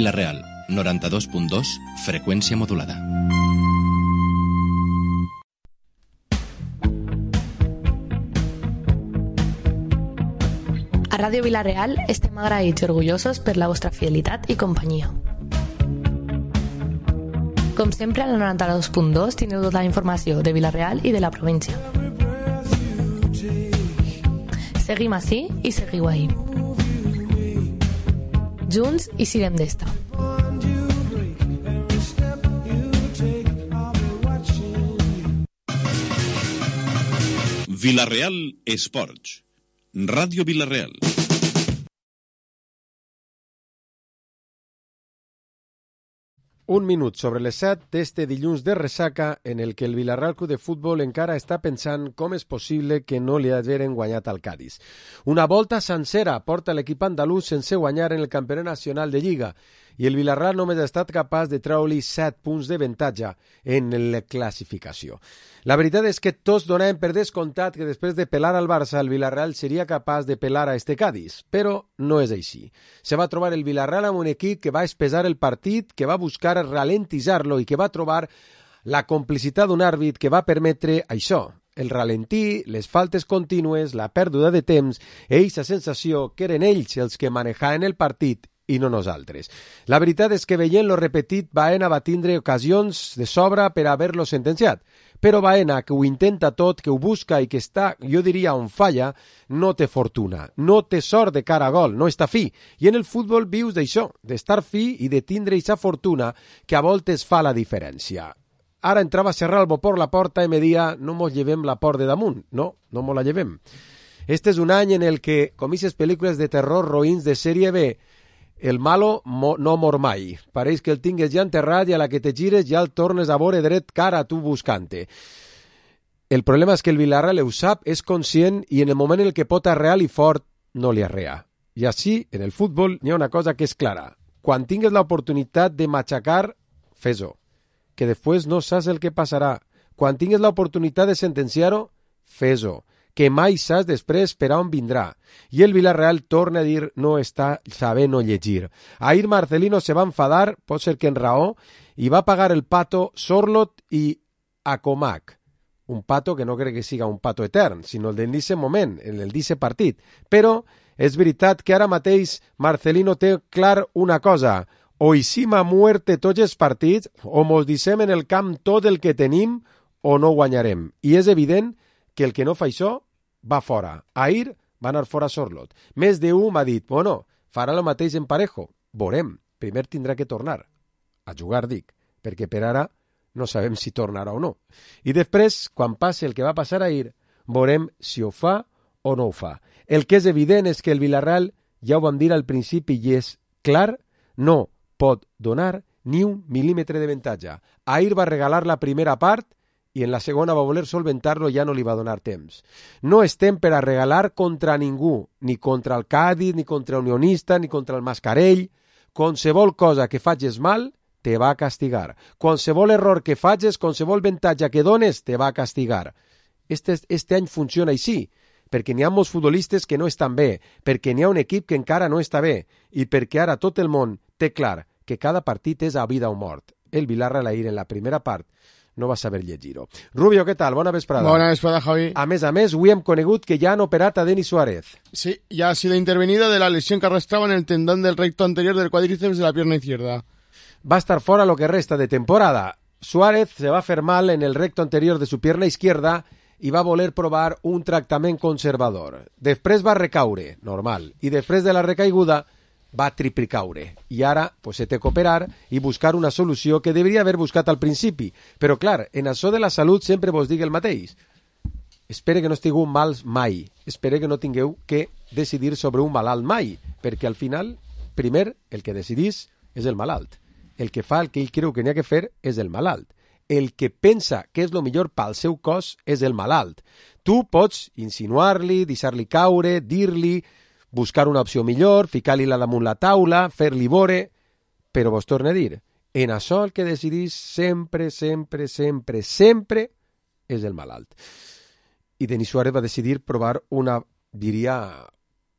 La Real, 92.2, freqüència modulada. A Ràdio Vila-real estem agraïts i orgullosos per la vostra fidelitat i companyia. Com sempre, a la 92.2 tindreu tota la informació de Vila-real i de la província. Seguim ací i seguiu ahí. Junts i siguem d'esta. Vila-real Esports. Ràdio Vila-real. Un minut sobre les 7 d'este dilluns de ressaca en el que el Vila-real Club de Futbol encara està pensant com és possible que no li hagin guanyat al Cádiz. Una volta sencera porta l'equip andalús sense guanyar en el Campionat Nacional de Lliga i el Vila-real només ha estat capaç de treure-li 7 punts d'avantatge en la classificació. La veritat és que tots donàvem per descomptat que després de pelar al Barça el Vila-real seria capaç de pelar a este Cádiz, però no és així. Se va trobar el Vila-real amb un equip que va espesar el partit, que va buscar ralentitzar-lo i que va trobar la complicitat d'un àrbit que va permetre això, el ralentí, les faltes contínues, la pèrdua de temps i aquesta sensació que eren ells els que manejaven el partit i no nosaltres. La veritat és que veient-lo repetit, Baena va tindre ocasions de sobra per haver-lo sentenciat. Però Baena, que ho intenta tot, que ho busca i que està, jo diria, on falla, no té fortuna, no té sort de cara a gol, no està fi. I en el futbol vius d'això, d'estar fi i de tindre aquesta fortuna que a voltes fa la diferència. Ara entrava Serralbo per la porta i me dia no mos llevem la por de damunt. No, no mos la llevem. Este és un any en el que, com aquestes pel·lícules de terror roïns de sèrie B, el malo no mor mai. Pareix que el tingues ja enterrat i a la que te gires ja el tornes a veure dret cara a tu buscant-te. El problema és que el Vila-real ho sap, és conscient i en el moment en el que pot arrear i fort no li arrea. I així, en el futbol, hi ha una cosa que és clara. Quan tingues l'oportunitat de matxacar, fes-ho. Que després no saps el que passarà. Quan tingues l'oportunitat de sentenciar-ho, fes-ho. Que mai saps després per on vindrà. I el Vila-real torna a dir no està sabent no llegir. Ahir Marcelino se va enfadar, pot ser que en raó, i va pagar el pato Sorlot i Acomac. Un pato que no crec que siga un pato etern, sinó el d'inici moment, el d'inici partit. Però és veritat que ara mateix Marcelino té clar una cosa. O eixim a muerte tots els partits, o mos dissem en el camp tot el que tenim, o no guanyarem. I és evident que el que no fa això va fora. Ahir va anar fora Sorlot. Més d'un m'ha dit, bueno, farà el mateix en Parejo. Veurem. Primer tindrà que tornar. A jugar, dic, perquè per ara no sabem si tornarà o no. I després, quan passi el que va passar ahir, veurem si ho fa o no ho fa. El que és evident és que el Vila-real, ja ho vam dir al principi i és clar, no pot donar ni un mil·límetre d'avantatge. Ahir va regalar la primera part i en la segona va voler solventar-lo i ja no li va donar temps. No estem per a regalar contra ningú, ni contra el Cádiz, ni contra Unionista, ni contra el Mascarell. Qualsevol cosa que facis mal, te va a castigar. Qualsevol error que facis, qualsevol avantatge que dones, te va a castigar. Este any funciona així, perquè n'hi ha molts futbolistes que no estan bé, perquè n'hi ha un equip que encara no està bé, i perquè ara tot el món té clar que cada partit és a vida o mort. El Vila-real ahir en la primera part no va saber llegir-ho. Rubio, què tal? Bona vesprada. Bona vesprada, Javi. A més, avui hem conegut que ja han operat a Denis Suárez. Sí, ya ha sido intervenido de la lesión que arrastraba en el tendón del recto anterior del cuádriceps de la pierna izquierda. Va a estar fora lo que resta de temporada. Suárez se va a fer mal en el recto anterior de su pierna izquierda i va voler provar un tractament conservador. Després va recaure, normal, i després de la recaiguda va triplicaure. I ara pues, se té que operar i buscar una solució que deveria haver buscat al principi. Però clar, en això de la salut sempre vos dic el mateix. Espere que no estigueu mals mai. Espere que no tingueu que decidir sobre un malalt mai, perquè al final, primer, el que decidís és el malalt. El que fa el que ell creu que n'hi ha que fer és el malalt. El que pensa que és el millor pel seu cos és el malalt. Tu pots insinuar-li, deixar-li caure, dir-li, buscar una opció millor, ficar-li-la damunt la taula, fer-li vore, però vos torno a dir, en això el que decidís sempre és el malalt. I Denis Suárez va decidir provar una, diria,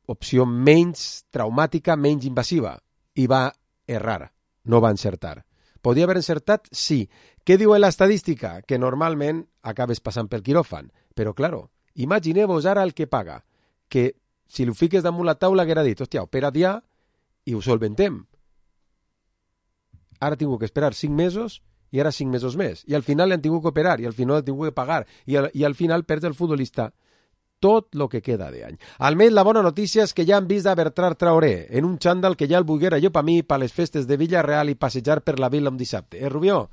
opció menys traumàtica, menys invasiva, i va errar, no va encertar. Podia haver encertat? Sí. Què diu l'estadística? Que normalment acabes passant pel quiròfan. Però, claro, imagineu-vos ara el que paga, que si ho fiques damunt la taula haguera dit, hòstia, opera't ja i ho solventem. Ara tinc que esperar 5 mesos i ara 5 mesos més. I al final l'han tingut que operar i al final l'han tingut que pagar i al final perd el futbolista tot el que queda d'any. Almenys la bona notícia és que ja han vist a Bertran Traoré en un xandall que ja el volguera jo per mi per les festes de Villarreal i passejar per la vila un dissabte. Rubió?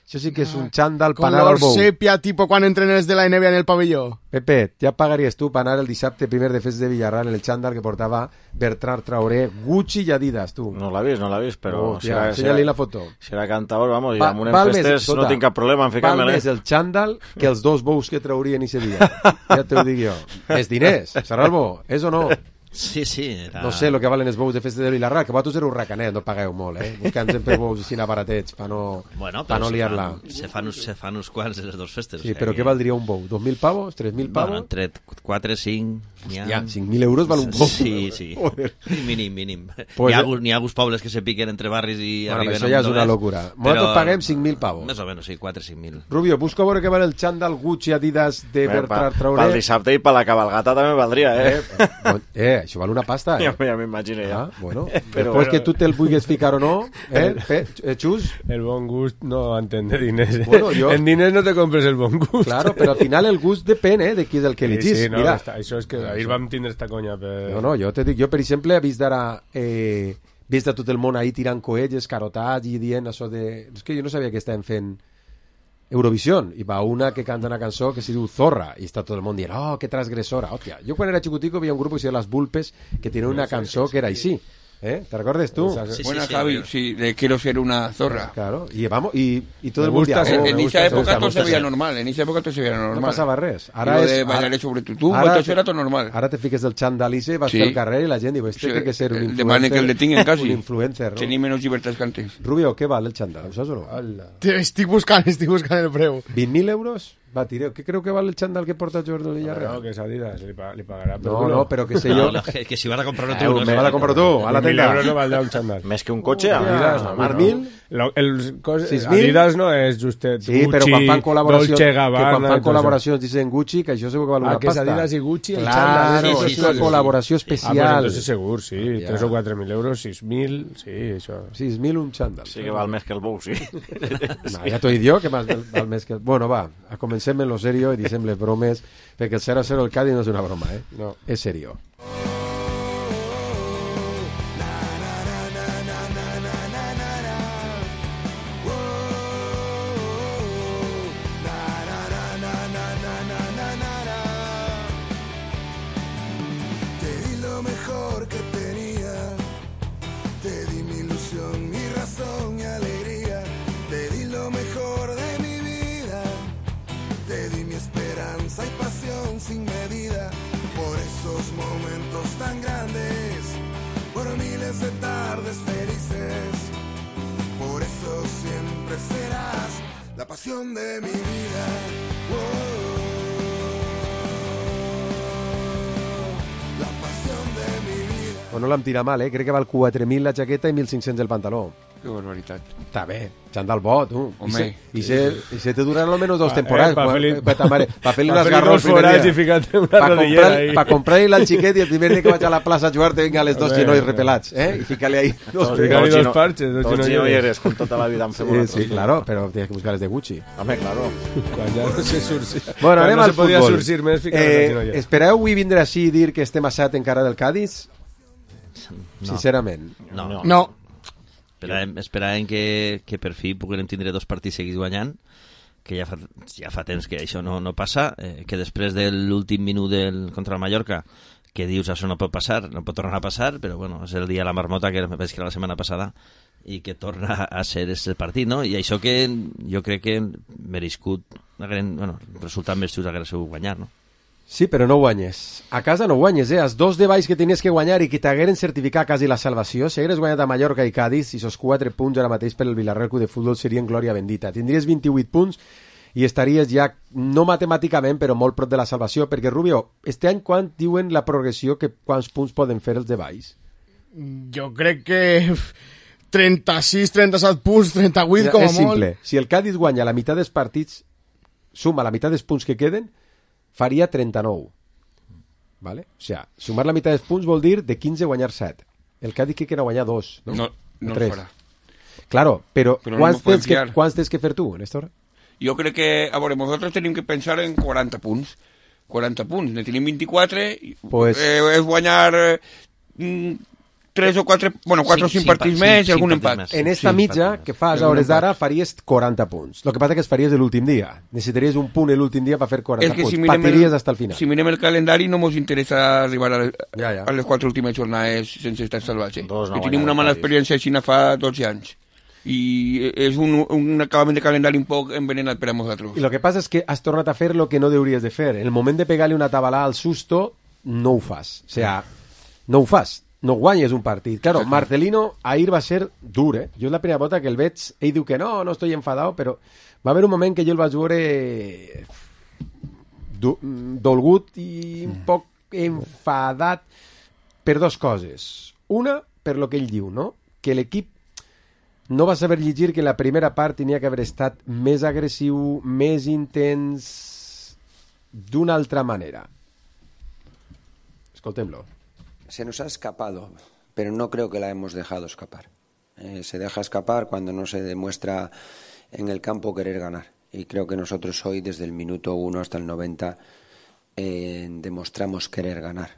Això sí que és un xandall per anar al bou. Color sepia, tipo quan entren els de la NBA en el pavelló. Pepe, ja pagaries tu per anar el dissabte primer de festes de Villarreal en el xandall que portava Bertran Traoré, Gucci i Adidas, tu. No l'ha vist, però... Enseña-li la foto. Serà cantador, vamos, i amb unes festes no tinc cap problema en ficar-me-la. Val més el xandall que els 2 bous que traurien ese dia. Ja t'ho dic jo. És diners, serà el bo, és o no? Sí, era... No sé el que valen els bous de festa de Vilarrat, que vosaltres éreu racanet, no pagueu molt, buscant sempre bous així baratets per no liar-la. Se fan uns quants de les 2 festes. Sí, però què valdria un bou? 2.000 pavos? 3.000 pavos? Bueno, entre 4, 5... Hòstia, 5.000 euros val un bou? Sí. Mínim. Pues n'hi ha alguns pobles que se piquen entre barris i arriben... Això ja és una locura. Nosaltres paguem 5.000 pavos. Més o menys, sí, 4, 5.000. Rubio, busca veure què val el xandall Gucci Adidas de Bertran Traoré. Pel dissabte i per la cabalgata també valdria, això val una pasta, Ja m'imagino, ja. Bueno, després que tu te'l vulguis ficar o no, Xus? El bon gust no entén de diners. Bueno, en diners no te compres el bon gust. Claro, però al final el gust depèn de qui és el que elegís. Sí, no, mira, això és que ahir vam tindre esta conya. No, jo te dic, jo per exemple he vist ara... vist a tot el món ahir tirant coets escarotats i dient això de... És que jo no sabia que estaven fent Eurovisión, i va una que canta una cançó que se diu Zorra, i està tot el món dient, oh, que transgressora, hòstia. Jo quan era xicutico veia un grup que se deia Las Vulpes, que tenia una cançó que era així. ¿Te recuerdas tú? Buena, Javi, sí, de quiero ser una zorra. Claro, y vamos, y todo el mundo... En esa época todo se veía normal, No passava res. Ara és... de bailaré sobre tu tumba, tot era tot normal. Ara te fiques del xandalice, vas pel carrer i la gent diu, este té que ser un influencer. Demane que el detinguen quasi. Un influencer, no? Tenir menys llibertats que antes. Rubio, què val el xandall? Ho saps o no? Estic buscant el preu. 20.000 euros? Va, tireu, què creu que val el xandall que porta Jordi Villarreal? No, que és Adidas, li pagarà. No, però que sé jo... Que si vas a comprar-lo tu. Me vas a comprar-lo tu, a la tenda. 1.000 euros no valdrà un xandall. Més que un cotxe, Adidas, Adidas no és justet. Sí, però quan fan col·laboracions, quan fan col·laboracions dicen Gucci, que això segur que val una pasta. Que és Adidas i Gucci, el xandall. Claro, és una col·laboració especial. Entonces segur, sí, 3 o 4.000 euros, 6.000, sí, això. 6.000 un xandall. Sí que val més que el bou, sí. Ja t'ho he dit jo, que val més que... Bueno, va, comencem en lo serio i deixem les bromes, perquè el 0-0 el Cádiz no és una broma, no, és serio. De tardes felices, por eso siempre serás la pasión de mi vida. La pasión de mi vida. Bueno, l'hem tirat mal, crec que val 4.000 la jaqueta i 1.500 el pantaló. Que barbaritat. Està bé, xandall bo, tu. Home. I se te duran almenys 2 temporades. Pa fer-li unes garros forats i ficar-te una rodillera ahí. Pa comprar-li al xiquet i el primer dia que vaig a la plaça a jugar te vinga les 2 genolls repelats, i ficar-li ahí dos parches, dos genolleres con tota la vida en fem una cosa. Sí, claro, però tienes que buscar les de Gucci. Home, claro. Quan ja no se surcia. Bueno, anem al futbol. No se podia surcir més ficar les genolleres. Espereu avui vindre així i dir que estem a 7 encara del Cádiz? Sincerament. No. Esperàvem que per fi puguem tindre 2 partits seguits guanyant, que ja fa temps que això no passa, que després de l'últim minut contra el Mallorca, que dius això no pot passar, no pot tornar a passar, però bueno, és el dia de la marmota, que me penso que era la setmana passada, i que torna a ser el partit, no? I això que jo crec que merescut, resultat més just hagués sigut guanyar, no? Sí, però no guanyes. A casa no guanyes, Els 2 de baix que tenies que guanyar i que t'hagueren certificat quasi la salvació, si hagueres guanyat a Mallorca i Cádiz, i esos 4 punts ara mateix per el Villarreal Club de Futbol serien glòria bendita. Tindries 28 punts i estaries ja, no matemàticament, però molt prop de la salvació, perquè, Rubio, este any quan diuen la progressió, que quants punts poden fer els de baix? Jo crec que 36, 37 punts, 38 com a molt. És simple. Si el Cádiz guanya la meitat dels partits, suma la meitat dels punts que queden, faria 39. ¿Vale? O sea, sumar la meitat dels punts vol dir de 15 guanyar 7. El Cádiz que quiera guanyar 2, ¿no? No 3. Farà. Claro, però quants tens que fer tu, Néstor? Jo crec que, a veure, nosaltres tenim que pensar en 40 punts. 40 punts, ne tenim 24, pues... és guanyar 3 o 4, bueno, 4 o 5 partits més i algun empat. En esta mitja que fas a hores d'ara faries 40 punts. Lo que passa que es faries l'últim dia. Necessitaries un punt l'últim dia per fer 40 punts. Patiries hasta el final. Si mirem el calendari no ens interessa arribar a les 4 últimes jornades sense estar salvatge. Que tenim una mala experiència així fa 12 anys. I és un acabament de calendari un poc envenenat per a nosaltres. I el que passa és que has tornat a fer el que no hauries de fer. En el moment de pegar-li una tabalà al susto, no ho fas. O sea, no ho fas. No guanyes un partit. Claro, Marcelino ahir va ser dur, eh? Jo és la primera volta que el veig, ell diu que no estoy enfadado, però va haver un moment que jo el vaig veure dolgut i un poc enfadat per dues coses. Una, per lo que ell diu, no? Que l'equip no va saber llegir que la primera part tenia que haver estat més agressiu, més intens, d'una altra manera. Escoltem-lo. Se nos ha escapado, pero no creo que la hemos dejado escapar. Se deja escapar cuando no se demuestra en el campo querer ganar. Y creo que nosotros hoy, desde el minuto 1 hasta el 90, demostramos querer ganar.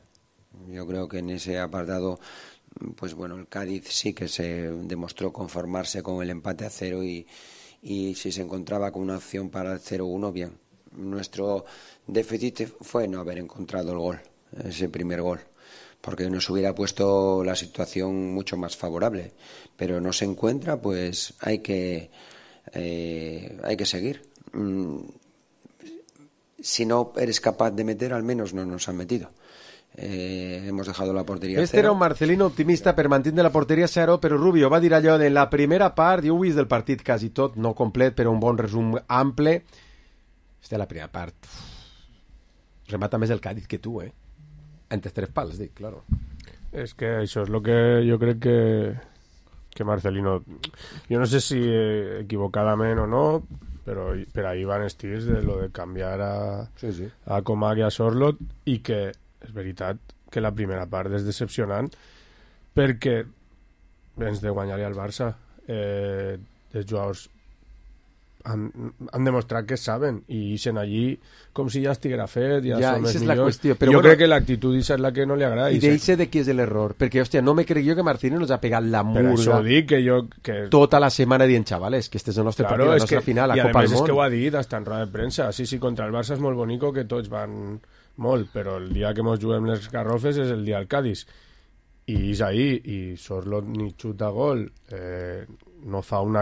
Yo creo que en ese apartado, pues bueno, el Cádiz sí que se demostró conformarse con el empate a 0 y si se encontraba con una opción para el 0-1, bien. Nuestro déficit fue no haber encontrado el gol, ese primer gol, porque nos hubiera puesto la situación mucho más favorable, pero no se encuentra, pues hay que seguir. Si no eres capaz de meter, al menos no nos han metido. Hemos dejado la porteria Este 0. Era un Marcelino optimista per mantindre la porteria 0, però Rubio va dir allò de la primera part, jo ho he vist del partit quasi tot, no complet, però un bon resum ample. Esta la primera part. Remata més el Cádiz que tu, Entre 3 pals, dic, claro. És que això és el que jo crec que Marcelino... Jo no sé si equivocadament o no, però per ahí van estirs de lo de canviar a Comac i a Sorloth, i que és veritat que la primera part és decepcionant perquè vens de guanyar-li al Barça. Els jugadors han demostrat que saben i ixen allí com si ja estiguera fet, ja són els millors. Jo crec que l'actitud és la que no li agrada. I d'eixe de qui és l'error? Perquè, hòstia, no me crec jo que Martínez nos ha pegat la murga. Per això dic que tota la setmana dient, xavales, que este és el nostre partit, la nostra final, la Copa del Món. I a més és que ho ha dit hasta en roda de premsa. Sí, contra el Barça és molt bonico que tots van molt, però el dia que mos juguem les garrofes és el dia del Cádiz. I és ahí, i Sorloth ni xuta gol, no fa un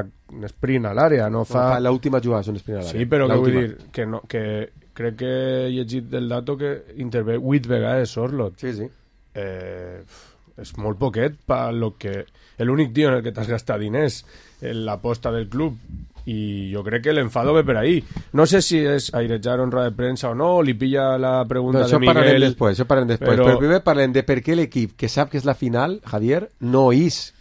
sprint a l'àrea, no fa... L'última jugada és un sprint a l'àrea. Sí, però què vull dir? Que crec que he llegit del dato que intervé 8 vegades Sorloth. Sí. És molt poquet per lo que... L'únic dia en el que t'has gastat diners en l'aposta del club, i jo crec que l'enfado ve per ahí. No sé si és airejar en roda de premsa o no, li pilla la pregunta de Miguel. Això parlem després. Però primer parlem de per què l'equip que sap que és la final, Javier, no és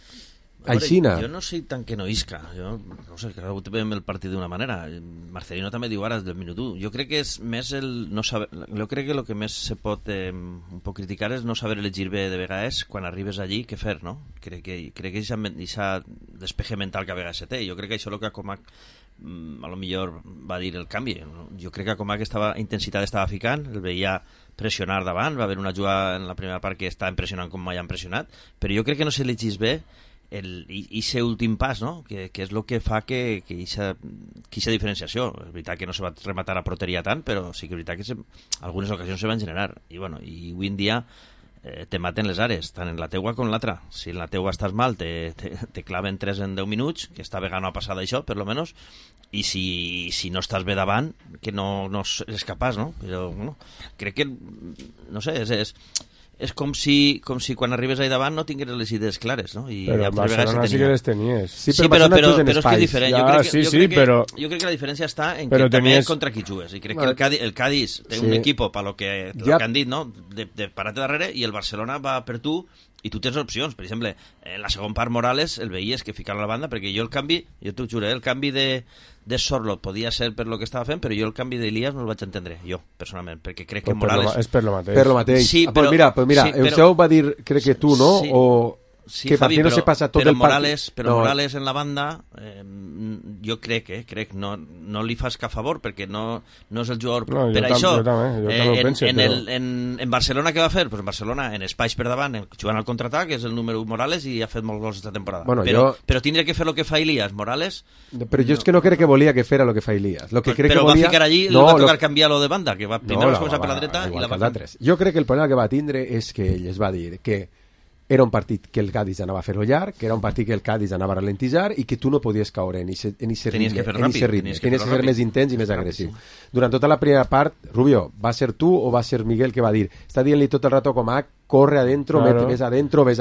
aixina. Jo no sé tant que no isca. Jo no sé, que veiem el partit d'una manera. Marcelino també diu ara del minut 1. Jo crec que és més el no saber... Jo crec que el que més se pot un poc criticar és no saber elegir bé de vegades quan arribes allí què fer, no? Crec que aquest despeje mental que a vegades se té. Jo crec que això és el que a Comac a lo millor va dir el canvi. Jo crec que a Comac intensitat estava ficant, el veia pressionar davant, va haver una jugada en la primera part que estava impressionant com mai han pressionat, però jo crec que no s'elegís bé i últim pas, no? Que és el que fa que ixa diferenciació. És veritat que no se va rematar a porteria tant, però sí que és veritat que algunes ocasions se van generar. I avui en dia te maten les àrees, tant en la teua com en l'altra. Si en la teua estàs mal, te claven 3 en 10 minuts, que esta vegada no ha passat això, per lo menos, i si no estàs bé davant, que no és capaç, no? Però, bueno, crec que, no sé, és com si quan arribes allà davant no tingués les idees clares, no? I però a Barcelona sí que les tenies. Sí, però és que és diferent. Jo crec que la diferència està en que també contra qui jugues. I crec que el Cádiz té un equip per lo que han dit, no? De parar-te darrere, i el Barcelona va per tu i tu tens opcions. Per exemple, en la segona part Morales el veies que ficava a la banda, perquè jo t'ho juro, el canvi de Sorloth podia ser per lo que estava fent, però jo el canvi d'Elias no el vaig entendre, jo, personalment, perquè crec que Morales... És per lo mateix. Per lo mateix. Sí, però, mira, sí, Euseu va dir, crec que tu, no? Sí. O... Sí, que Javi, no se pasa todo el Morales, però Morales en la banda jo crec no li fas cap favor perquè no és el jugador per això. Jo també en Barcelona què va fer? Pues en Barcelona en espais per davant, jugant al contraatac, és el número 1 Morales i ha fet molts gols esta temporada. Bueno, però tindria que fer el que fa Elias Morales. Però jo és que no crec que volia que fera el que fa Elias. Lo que crec però que volia... va ficar allí, li va tocar canviar-lo de banda, que va primer va començar per la dreta i la va canviar. Jo crec que el problema que va tindre és que ell es va dir que era un partit que el Cádiz anava a fer-ho llarg, que era un partit que el Cádiz anava a ralentitzar i que tu no podies caure en aquest ritme. Tenies que ser més intens i més agressiu. Durant tota la primera part, Rubio, va ser tu o va ser Miguel que va dir, està dient-li tot el rato com a corre adentro, claro. Ves adentro, i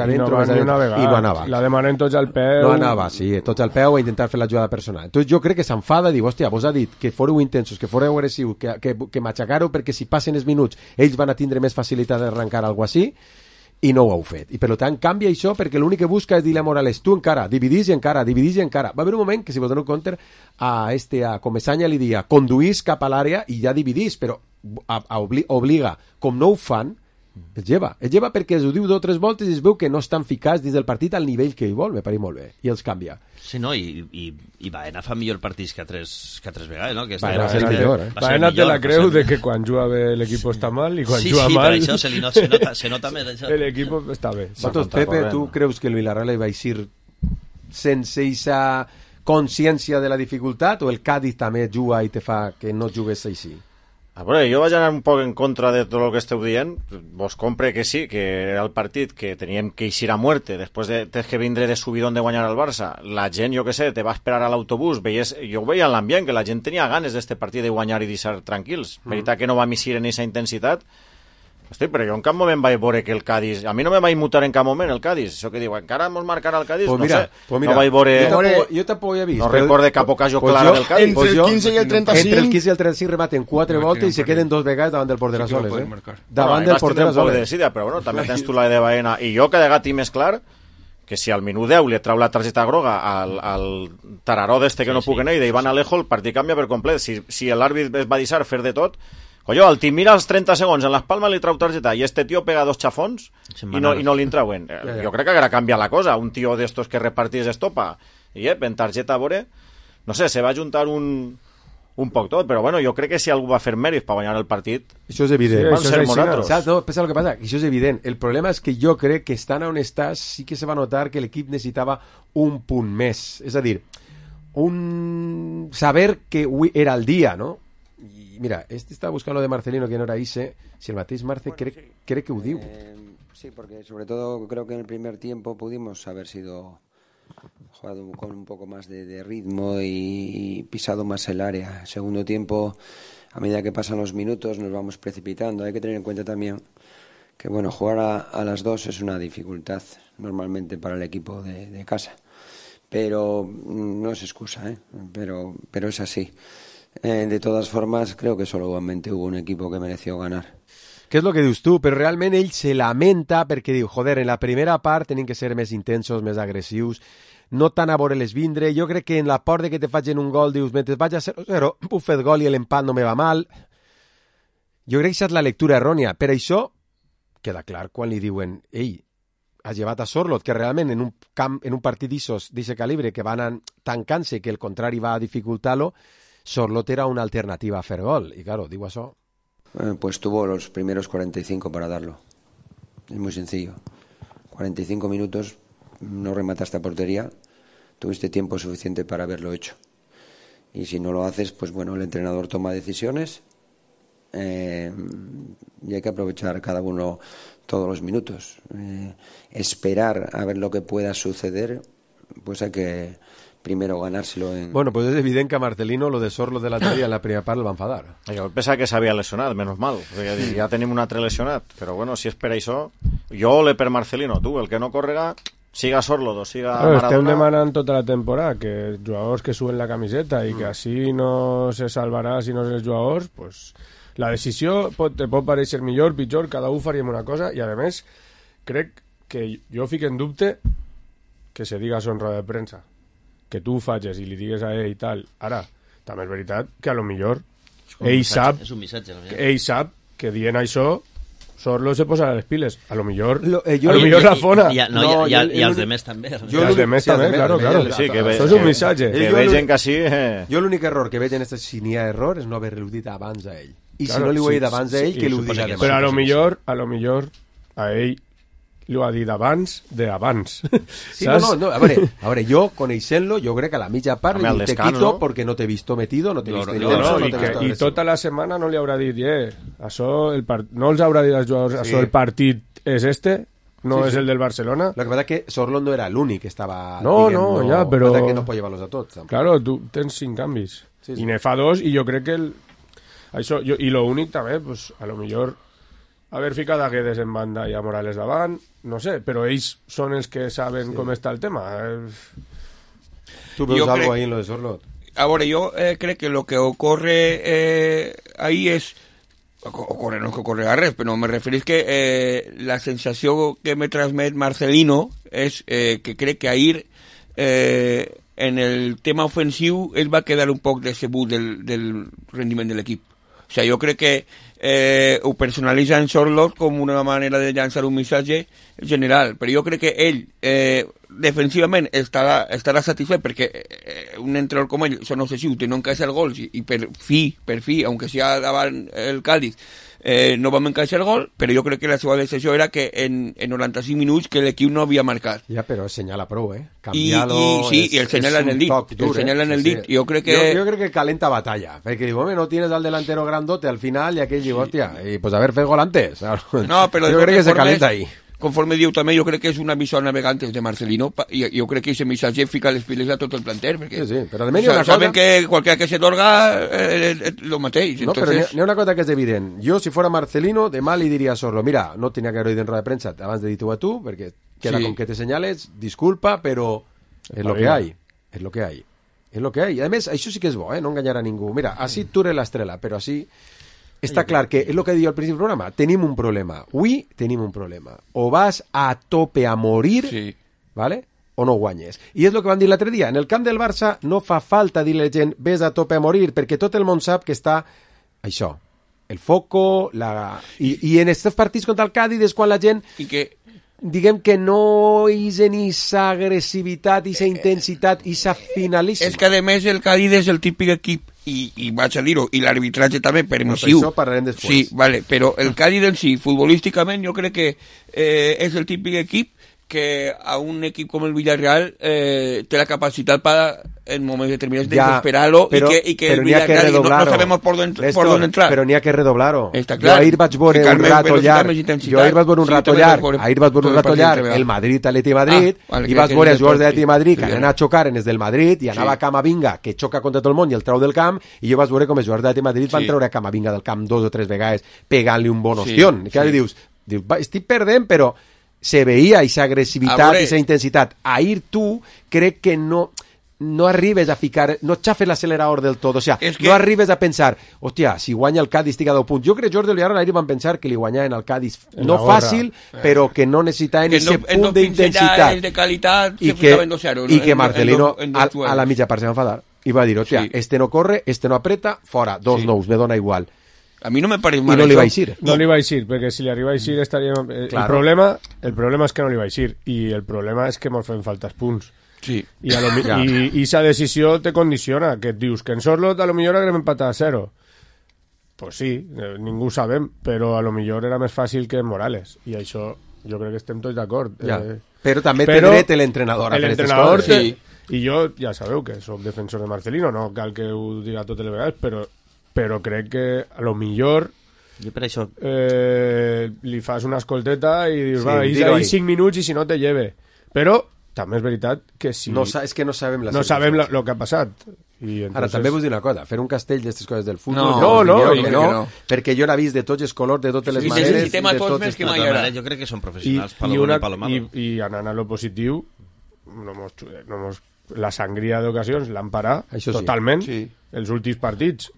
no anava. La demanen tots al peu. No anava, sí, tots al peu a intentar fer la jugada personal. Entonces jo crec que s'enfada i diu, hòstia, vos ha dit que foreu intensos, que foreu agressius, que matxacareu perquè si passen els minuts ells van a tindre més facilitat d'arrencar alguna cosa així, i no ho heu fet. I per tant canvia això perquè l'únic que busca és dir a Morales, tu encara, dividís i encara. Va haver un moment que, si vos dono compte, a Comesaña li dia, conduís cap a l'àrea i ja dividís, però obliga, com no ho fan, es lleva perquè es ho diu 2 o 3 voltes i es veu que no estan ficats dins del partit al nivell que ell vol, me pareix molt bé, i els canvia. Sí, no, i Baena fa millor partits que altres vegades, no? Baena és el millor, Baena té la creu de que quan juga bé l'equip està mal i quan juga mal... Sí, per això se nota més això. L'equip està bé. Pepe, tu creus que el Villarreal va eixir sense aquesta consciència de la dificultat o el Cádiz també juga i te fa que no jugues així? A veure, jo vaig anar un poc en contra de tot el que esteu dient. Vos compre que sí, que era el partit que teníem que eixir a muerte després de que vindre de subidón de guanyar al Barça. La gent, jo que sé, te va esperar a l'autobús, jo ho veia en l'ambient, que la gent tenia ganes d'este partit de guanyar i deixar tranquils. Veritat que no vam eixir en aquesta intensitat. Hosti, però jo en cap moment vaig veure que el Cádiz... A mi no me vaig mutar en cap moment el Cádiz. Això que diu, encara mos marcarà el Cádiz? Pues mira, no vaig veure... Jo tampoc he vist. No recorde cap ocasió clara del Cádiz. Entre el 15 i el 35... Entre el 15 i el 35 rematen 4 voltes i se queden 2 vegades davant del porter a soles. Davant del porter a soles. Però bueno, també tens tu la de Baena. I jo que de gat i més clar que si al minut 10 li trau la targeta groga al tararó d'este que no puc anar i d'Ivan Alejo, el partit canvia per complet. Si l'àrbit es va deixar fer de tot... Colló, el team mira els 30 segons en l'espalma li trau targeta i este tio pega 2 xafons i no li trauen. Jo crec que haurà canviat la cosa. Un tio d'estos que repartís estopa i en targeta a veure, no sé, se va juntar un poc tot, però bueno, jo crec que si algú va fer mèrits per guanyar el partit, això és evident. Van ser nosaltres. No, pensa el que passa, això és evident. El problema és que jo crec que estant on estàs sí que se va notar que l'equip necessitava un punt més, és a dir, saber que avui era el dia, no? Mira, está buscando lo de Marcelino que no era Ise. Si el Mateix Marce cree que ho diu. Sí, porque sobre todo creo que en el primer tiempo pudimos haber sido jugado con un poco más de ritmo y pisado más el área. Segundo tiempo, a medida que pasan los minutos, nos vamos precipitando. Hay que tener en cuenta también que bueno, jugar a las 2 es una dificultad normalmente para el equipo de casa. Pero no es excusa, pero es así. De todas formas, creo que solamente hubo un equipo que mereció ganar. Què és el que dius tu? Però realment ell se lamenta perquè diu, joder, en la primera part tenim que ser més intensos, més agressius, no tan a veure-les vindre. Jo crec que en la por de que te facin un gol dius, mentre vaig a 0-0, puc fer gol i l'empat no me va mal. Jo crec que aquesta és la lectura errònia. Per això queda clar quan li diuen, ei, has llevat a Sorloth, que realment en un partit d'aquest calibre que van tancant-se, que el contrari va a dificultar-lo, Sorloth era una alternativa a fer gol, y claro, digo eso. Pues tuvo los primeros 45 para darlo. Es muy sencillo. 45 minutos, no remataste a portería, tuviste tiempo suficiente para haberlo hecho. Y si no lo haces, pues bueno, el entrenador toma decisiones y hay que aprovechar cada uno todos los minutos. Esperar a ver lo que pueda suceder, pues hay que... primero ganárselo en... Bueno, pues és evident que a Marcelino lo de Sorloth de l'altre dia en la primera part el va enfadar. Jo pensava que s'havia lesionat, menys mal. Ja tenim un altre lesionat. Però bueno, si és per això... Jo ole per Marcelino, tu, el que no correga, siga Sorloth o siga Maradona... Estem demanant tota la temporada que jugadors que suben la camiseta i que així no se salvarà si no els jugadors, pues la decisió te pot pareixer millor, pitjor, cada un faríem una cosa i a més crec que jo fico en dubte que se diga en roda de premsa, que tu ho facis i li digues a ell i tal. Ara, també és veritat que a lo millor ell sap que dient això Sorlo se posa les piles. A lo millor la fona. I els demés també. I els demés també, claro. Això és un missatge. Que vegen que sí... Jo l'únic error que veig en aquesta, si n'hi ha error, és no haver-lo dit abans a ell. I si no li ho he dit abans a ell, que l'ho diga demà. Però a lo millor a ell li ho ha dit abans d'abans. Sí, no. A veure, jo, coneixent-lo, jo crec que a la mitja part te quito perquè no t'he visto metido, no t'he visto intenso. I tota la setmana no li haurà dit, això, no els haurà dit als jugadors, això, el partit és no és el del Barcelona. Lo que pasa es que Sorloth no era l'únic que estava... No, ja, però... que no pot llevar-los a tots. Tampoc. Claro, tu tens 5 canvis. I ne fa 2, i jo crec que això, i lo únic també, pues, a lo millor haver ficat a Guedes en banda i a Morales davant, no sé, però ells són els que saben com està el tema. Tu veus algo ahí en lo de Sorloth? A veure, jo crec que lo que ocurre ahí es... Ocurre, no es que ocurre res, però me referís que la sensació que me transmet Marcelino és que crec que ahir en el tema ofensiu ell va quedar un poc decebut del rendiment de l'equip. O sigui, jo crec que ho personalitza en Sorloth com una manera de llançar un missatge general, però jo crec que ell defensivament estarà satisfet perquè un entrenador com ell són obsessius, no encaixar gols i per fi, aunque sea davant el Cádiz, no vam encaixar el gol, però jo crec que la seva decisió era que en 95 minuts que l'equip no havia marcat. Ja, però senyala prou, Canviar-lo i el senyala en el dit. Jo crec que calenta batalla, perquè diu, no tienes al delantero grandote al final i aquell diu, hòstia, pues haber fet gol antes. No, però jo crec que se calenta ahí. Conforme diu també, jo crec que és una visió navegantes de Marcelino, i jo crec que aquest missatge fica les piles a tot el planter, perquè però almenys una cosa... saben que qualsevol que se torga lo mateix. No, entonces... però n'hi ha una cosa que és evident. Jo, si fora Marcelino, demà li diria a Sorlo, mira, no tenia que haver dit en roda de premsa abans de dir-ho a tu, perquè queda con que te senyales, disculpa, però és lo que hay. És lo que hay. És lo que hay. I a més, això sí que és bo, no enganyar a ningú. Mira, així tu eres l'estrela, però així... Està clar que és el que diu al principi del programa, tenim un problema. Avui tenim un problema. O vas a tope a morir, ¿vale? O no guanyes. I és el que vam dir l'altre dia. En el camp del Barça no fa falta dir a la gent ves a tope a morir, perquè tot el món sap que està això. El foco, I en aquests partits contra el Cádiz és quan la gent... I que... diguem que no és en aquesta agressivitat, aquesta intensitat, aquesta finalíssima. És que a més el Cádiz és el típic equip i vaig a dir-ho, i l'arbitratge també permissiu. Això parlarem després. Sí, vale, però el Cádiz en si, futbolísticament, jo crec que és el típic equip que a un equip com el Villarreal té la capacitat para en moments determinados de desesperarlo y que el Villarreal no sabemos por dónde entrar. Pero n'hi ha que redoblar-ho. Està clar. Jo ahir vaig veure un rato llarg, el Madrid-Atleti Madrid, i vaig veure els jugadors de l'Atleti Madrid que anaven a xocar en els del Madrid, i anava Camavinga, que xoca contra tot el món i el trau del camp, i jo vaig veure com els jugadors de l'Atleti Madrid van treure Camavinga del camp 2 o 3 vegades pegant-li un bon ostión. I que dius, estic perdent, però se veia aquesta agressivitat i aquesta intensitat. Ahir tu crec que no arribes a ficar, no xafes l'accelerador del tot, o sigui, no arribes a pensar, hòstia, si guanya el Cádiz estic a 10 punts. Jo crec que Jordi Villarreal ahir van pensar que li guanyaven al Cádiz no fàcil, però que no necessitaven aquest punt d'intensitat i que Marcelino a la mitja part se va enfadar i va dir, hòstia, este no corre, este no apreta, fora, 2 nous, me dona igual. A mi no me pareix mal. I no li va eixir. No li va eixir, perquè si li arriba a eixir estaria... El problema és que no li va eixir, i el problema és que mos fem faltes punts. Sí. I esa decisió te condiciona, que et dius que en Sorloth a lo millor haguem empatat a 0. Pues sí, ningú ho sabem, però a lo millor era més fàcil que Morales, i això jo crec que estem tots d'acord. Però també té dret l'entrenador a fer aquestes coses. Sí. I jo, ja sabeu que soc defensor de Marcelino, no cal que ho diga totes les vegades, però crec que a lo millor per això li fas una escolteta i dius, va, ahí 5 minuts i si no te lleve. Però també és veritat que si... és que no sabem lo que ha passat. Ara, també vull dir una cosa, fer un castell d'aquestes coses del futbol... No, perquè jo n'he vist de tots els colors, de totes les maneres... Jo crec que són professionals, Palomar i Palomar. I anant a lo positiu, la sangria d'ocasions l'han parat totalment, els últims partits.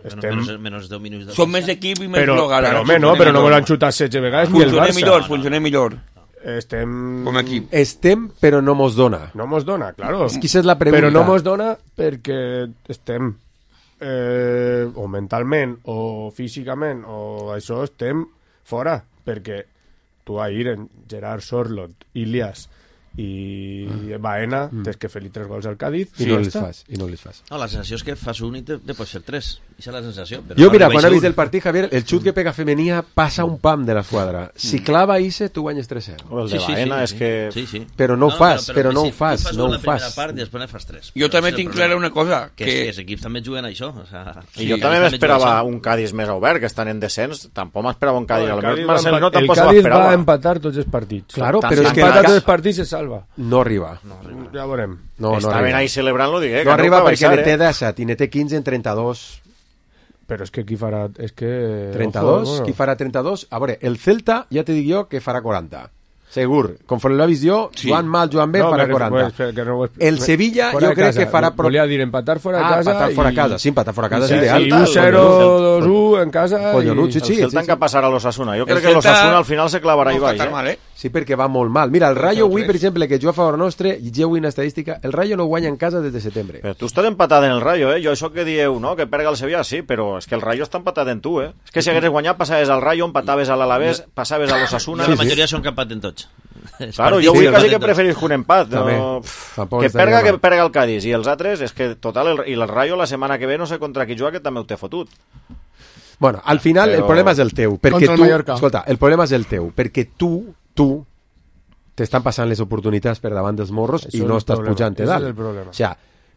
Menos 10 minuts. Som més equip i més blogar. Però no me l'han xutat 16 vegades ni el Barça. Funcionem millor. Com a equip. Estem, però no mos dona. No mos dona, claro. És que aquesta és la pregunta. Però no mos dona perquè estem o mentalment o físicament o això estem fora, perquè tu ahir en Gerard Sorlot, Ilias i Baena tens que fer-li 3 gols al Cádiz i no les fas. No, la sensació és que fas un i te pots fer 3. Aquesta és la sensació. Jo, mira, quan he vist el partit, Javier, el xut que pega Femenia passa un pam de la esquadra. Si clava Ise, tu guanyes 3-0. El de Baena és que... Sí. Però no ho fas, però no ho fas. Tu fas la primera part i després ne fas 3. Jo també tinc clara una cosa. Que els equips també juguen a això. I jo també m'esperava un Cádiz més obert, que estan en descens. Tampoc m'esperava un Cádiz. El Cádiz va empatar tots els partits. Claro, però és que empata tots els partits se salva. No arriba. Ja veurem. Estaven ahí celebrant-lo, digué. No arriba perquè ne té 17 i ne té 15 en 32. Però és que qui farà... És que... 32? Qui farà 32? A veure, el Celta, ja te dic jo, que farà 40. Segur. Conforme l'ha vist jo, Joan mal, Joan bé, farà 40. El Sevilla, jo crec que farà... Volia dir empatar fora de casa. Empatar fora de casa. Sí, empatar fora de casa és ideal. I 1-0, 2-1 en casa. El Celta que passarà a l'Osasuna. Jo crec que l'Osasuna al final se clavarà i baix. Sí, perquè va molt mal. Mira, el Rayo avui, per exemple, que juga a favor nostre, i jo una estadística, el Rayo no guanya en casa des de setembre. Però tu estàs empatat en el Rayo, Jo això que dieu, no?, que perga el Sevilla, sí, però és que el Rayo està empatat en tu, És que si hagués guanyat, passaves al Rayo, empataves a l'Alavés, passaves a l'Osasuna... La majoria són que empaten tots. Claro, jo vull quasi que preferís un empat. Que perga el Cádiz i els altres, és que total, i el Rayo la setmana que ve no sé contra qui juga, que també ho té fotut. Bueno, al final el problema és el teu, perquè tu... Escolta, el problema és el teu, perquè tu t'estan passant les oportunitats per davant dels morros i no estàs pujant-te dalt. O sea,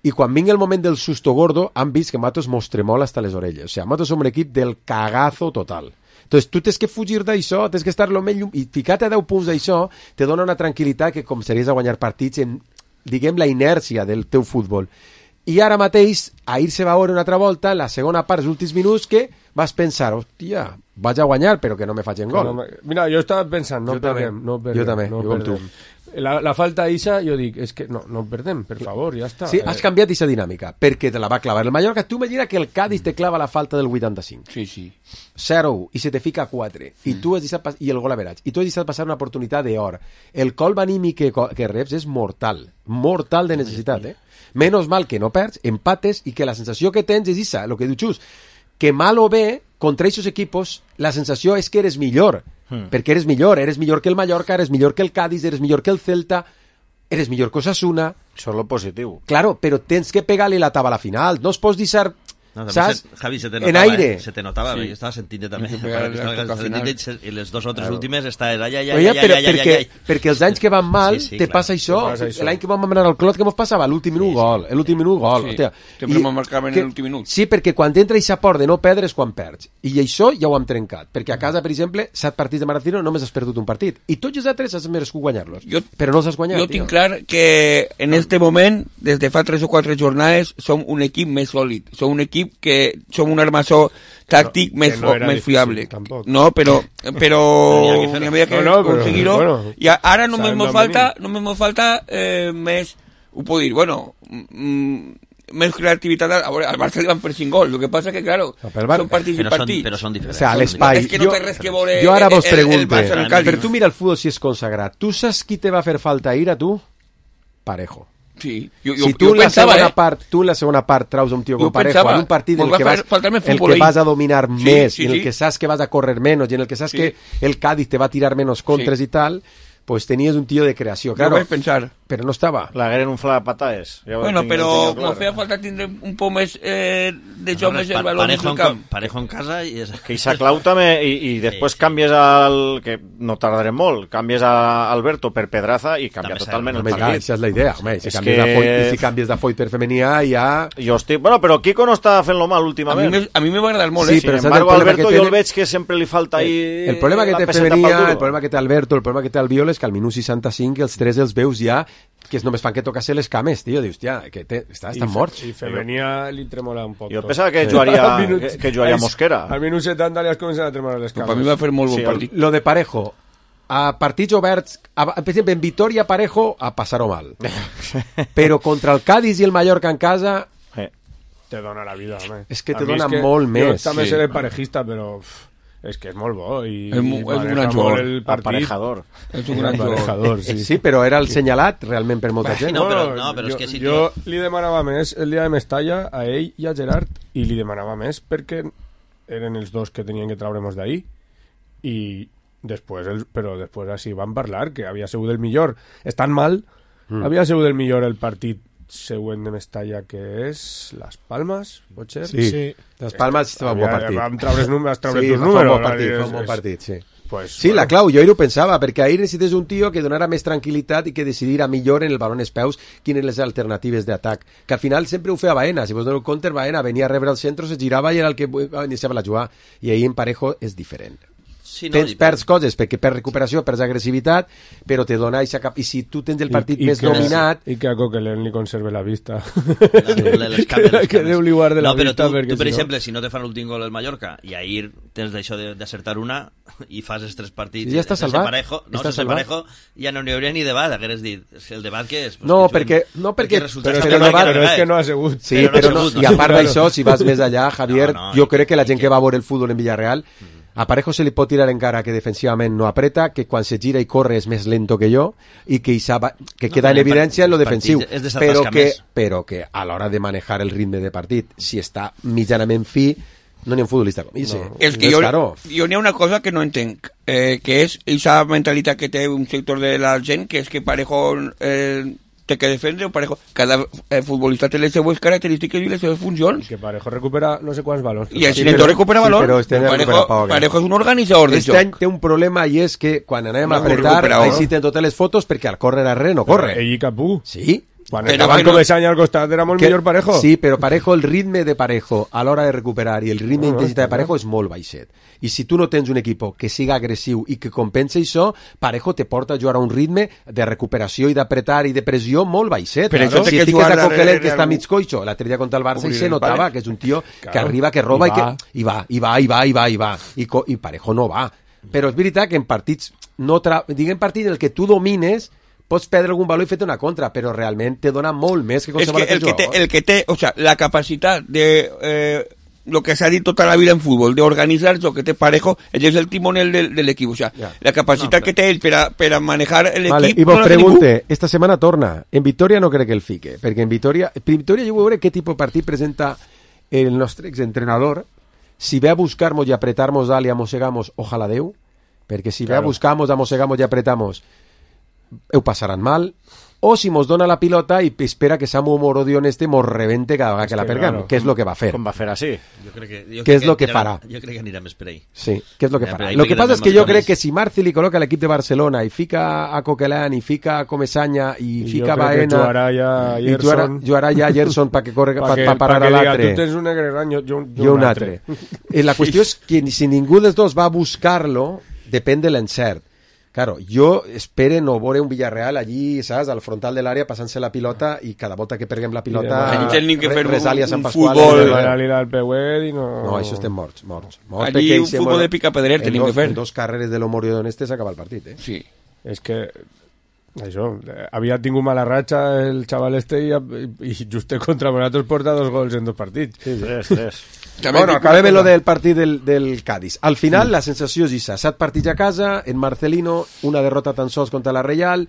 i quan vingui el moment del susto gordo, han vist que Matos mos tremola hasta les orelles. O sea, Matos som un equip del cagazo total. Entonces, tu tens que fugir d'això, tens que estar lo més llum... I ficar-te a 10 punts d'això te dona una tranquil·litat que començaries a guanyar partits en, diguem, la inèrcia del teu futbol. I ara mateix, ahir se va veure una altra volta, en la segona part, els últims minuts, que vas pensar, hòstia, vaig a guanyar, però que no me facin gol. Mira, jo estava pensant, no perdem. Jo també, com tu. La falta d'Isa, jo dic, és que no perdem, per favor, ja està. Sí, has canviat aquesta dinàmica, perquè te la va clavar el Mallorca. Tu imagina que el Cádiz te clava la falta del 85. Sí. 0-1, i se te fica 4. I tu has deixat i el gol average. I tu has deixat passar una oportunitat d'or. El colp anímic que reps és mortal. Mortal de necessitat, Menos mal que no perds, empates, i que la sensació que tens és Isa, el que diu Xus, que mal o bé, contra aquests equipos, la sensació és que eres millor. Perquè eres millor que el Mallorca, eres millor que el Cádiz, eres millor que el Celta, eres millor que Osasuna. Això és lo positiu. Claro, però tens que pegar-li la taba a la final. No es pots deixar... No, saps? Javi, se te notava, en aire. Se te notava, jo estava sentint també. I les dues altres últimes està... Perquè els anys que van mal te passa això. L'any que vam anar al Clot, què mos passava? L'últim minut gol. L'últim minut gol. Sempre me'n marcaven en l'últim minut. Sí, perquè quan entra i s'aport de no perdre és quan perds. I això ja ho hem trencat. Perquè a casa, per exemple, 7 partits de Maracino només has perdut un partit. I tots els altres has merescut guanyar-los. Però no els has guanyat. Jo tinc clar que en este moment, des de fa 3 o 4 jornades, som un equip més sòlid. Som un equip que som un armassó tàctic més fiable. No, però n'hi havia que aconseguir-ho. I ara només m'ho falta més, ho puc dir, més creativitat. A veure, al Barça li van fer 5 gols, el que passa que, claro, són partits i partits. Però són diferents. O sea, l'espai. És que no té res que veure jo ara vos pregunto, però tu mira el futbol si és consagrat. Tu saps qui te va fer falta ahir a tu? Parejo. Sí, si tu en la segona part traus un tio com Parejo en un partit en el que vas a dominar més, en el que saps que vas a correr menys i en el que saps que el Cádiz te va a tirar menos contres i tal, pues tenies un tio de creació. Claro, vaig pensar. Però no estava. L'hagueren un fla de patades. Bueno, però me feia falta tindre un poc més de joc més el valor del camp. Parejo en casa i... Que Isaac Lau també, i després canvies al... que no tardarem molt, canvies a Alberto per Pedraza i canvia totalment el partit. Això és la idea, home. Si canvies de Foyt per Femenia ja... Jo estic... Bueno, però Kiko no està fent-lo mal últimament. A mi m'ha agradat molt, Sin embargo, Alberto jo el veig que sempre li falta ahí... El problema que té Femenia, el problema que té Alberto, el problema que té Albiol és que al minut 65 els tres els veus ja que només fan que tocar-se les cames, tio. Dius, que estan morts. I Femenia li tremola un poc. Jo pensava que jugaria Mosquera. Al minut 70 li has començat a tremolar les cames. Per mi va fer molt bon partit. Lo de Parejo, a partits oberts, per exemple, en Vitoria Parejo a passar-ho mal. Però contra el Cádiz i el Mallorca en casa... Te dona la vida, home. És que te dona molt més. Jo també seré parejista, però... És que és molt bo i és un gran jugador, aparejador. És un gran jugador, sí, però era el senyalat realment per molta gent. No, però és que si jo li demanava més el dia de Mestalla a ell i a Gerard, i li demanava més perquè eren els dos que tenien que traure-nos d'ahí, i després així van parlar que havia sigut el millor, estan mal, havia sigut el millor el partit següent de Mestalla, que és Las Palmas, pot ser? Sí. Las Palmas va un bon partit. Vam treure tus números. Fa un bon partit, sí. Pues, sí, la clau, jo ahir ho pensava, perquè ahir necessites un tio que donara més tranquil·litat i que decidirà millor en el balón espeus quines les alternatives d'atac, que al final sempre ho feia Baena, si vos doneu compte, Baena venia a rebre el centre, se girava i era el que iniciava la jugada, i ahir en Parejo és diferent. Sí, no, perds coses perquè per recuperació, perds agressivitat, però te dona eixa cap... I si tu tens el partit més dominat... I que a Coquelin li conserve la vista. Que Déu li guarde la vista. Tu, per exemple, si no te fan l'últim gol el Mallorca i ahir tens d'això d'acertar una i fas els 3 partits... I ja està salvat. Sense Parejo ja no n'hi hauria ni debat, hagueres dit. El debat que és... No, perquè però és que no ha sigut. Sí, però no. I a part d'això, si vas més allà, Javier, jo crec que la gent que va veure el futbol en Villarreal a Parejo se li pot tirar encara que defensivament no apreta, que quan se gira i corre és més lento que jo i que queda en evidència en lo defensiu, però que a l'hora de manejar el ritme de partit, si està mitjanament fi, no n'hi ha un futbolista com ell. És que jo n'hi ha una cosa que no entenc, que és aquesta mentalitat que té un sector de la gent, que és que Parejo té que defendre, Parejo, cada futbolista té les seves característiques i les seves funcions. I que Parejo recupera no sé quants valors. I el Xinetó recupera valors. Parejo és un organitzador de joc. Este any té un problema i és que quan anem a apretar, ahí sí té totes les fotos perquè al córrer arrere no corre. Ell i Capú. Sí. Quan estaven com ese any al costat era molt millor Parejo. Sí, però Parejo, el ritme de Parejo a l'hora de recuperar i el ritme d'intensitat de Parejo és molt baixet. I si tu no tens un equip que siga agressiu i que compensa això, Parejo te porta a jugar a un ritme de recuperació i d'apretar i de pressió molt baixet. Però si fiques a Coquelin, que està mig coixo, l'altre dia contra el Barça i se notava que és un tio que arriba, que roba i va. I Parejo no va. Però és veritat que en partits, diguem partits en el que tu domines, pots perdre algun valor i fer-te una contra, però realment te dona molt més que qualsevol altre jugador. El que té, o sea, la capacitat de lo que se ha dit tota la vida en fútbol, de organitzar lo que té Parejo, ell és el timonel de l'equip, o sea, la capacitat que té ell per a manejar l'equip... Vale, i vos pregunte, esta setmana torna, en Vitoria no crec que el fique, perquè en Vitoria jo vull veure què tipus de partit presenta el nostre exentrenador, si ve a buscar-nos i apretar-nos dalt i a mossegamos, ojalà Déu, perquè si ve a buscar-nos, a mossegamos i apretamos, ho passaran mal, o si mos dona la pilota i espera que Samu Morodion mos rebente cada vegada que la perguem, que és el que va fer. Com va fer així? Què és el que farà? Jo crec que anirà més per ahí. Sí, què és el que farà? Lo que passa és que jo crec que si Marci li col·loca l'equip de Barcelona i fica a Coquelin i fica a Comesaña i fica a Baena i jugarà ja Gerson perquè parar a l'altre. Tu tens un negre gran, jo un altre. La qüestió és que si ningú dels dos va a buscar-lo, depèn de l'encert. Claro, jo espero no veure un Villarreal allí, saps, al frontal de l'àrea passant-se la pilota i cada volta que perguem la pilota resàlia Sant Pasqual. No, això estem morts. Allí un futbol de pica-pedrer tenim que fer. En 2 carreres de l'Omorio d'Oneste s'acaba el partit, Sí. És que això, havia tingut mala ratxa el xaval i just contra nosaltres porta 2 gols en 2 partits. Sí, 3. Bueno, acabem lo del partit del Cádiz. Al final, la sensació és això. 7 partits a casa, en Marcelino, una derrota tan sols contra la Real,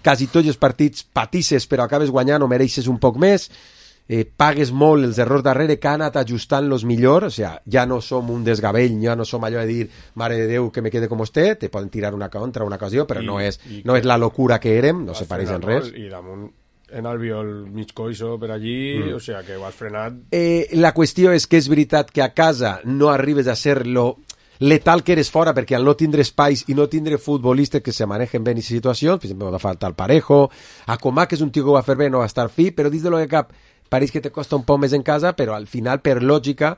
quasi tots els partits patisses, però acabes guanyant o mereixes un poc més, pagues molt els errors darrere, que han anat ajustant-los millor, o sigui, ja no som un desgavell, ja no som allò de dir, mare de Déu, que me quede com esté, te poden tirar una contra, una ocasió, però no és la locura que érem, no se pareix en res. I damunt en Albiol mig coixo per allí, o sigui que ho has frenat. La qüestió és que és veritat que a casa no arribes a ser lo letal que eres fora, perquè al no tindre espais i no tindre futbolistes que se manejen bé en aquestes situacions, per exemple, va faltar el Parejo, a Comà, que és un tio que ho va fer bé, no va estar fi, però dins de lo que cap, pareix que te costa un poc més en casa, però al final, per lògica,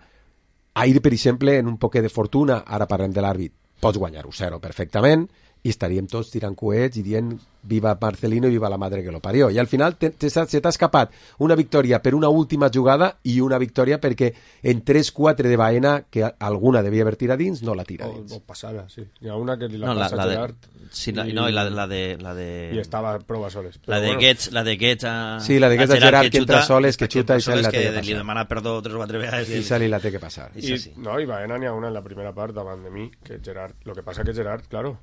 ahir, per exemple, en un poc de fortuna, ara parlem de l'àrbit, pots guanyar 1-0 perfectament, i estaríem tots tirant coets i dient viva Marcelino i viva la madre que lo parió. I al final se t'ha escapat una victòria per una última jugada i una victòria perquè en 3-4 de Baena, que alguna devia haver tirat dins, no la tira dins. O passada, sí. Hi ha una que li la passa a Gerard. Sí, la de... I estava prova soles. La de Guets a... Sí, la de Guets a Gerard, que entra soles, que xuta i se li la té que passar. Li demana perdó 3 o 4 vegades. I se li la té que passar. I Baena n'hi ha una en la primera part davant de mi, que Gerard... Lo que passa que Gerard, claro,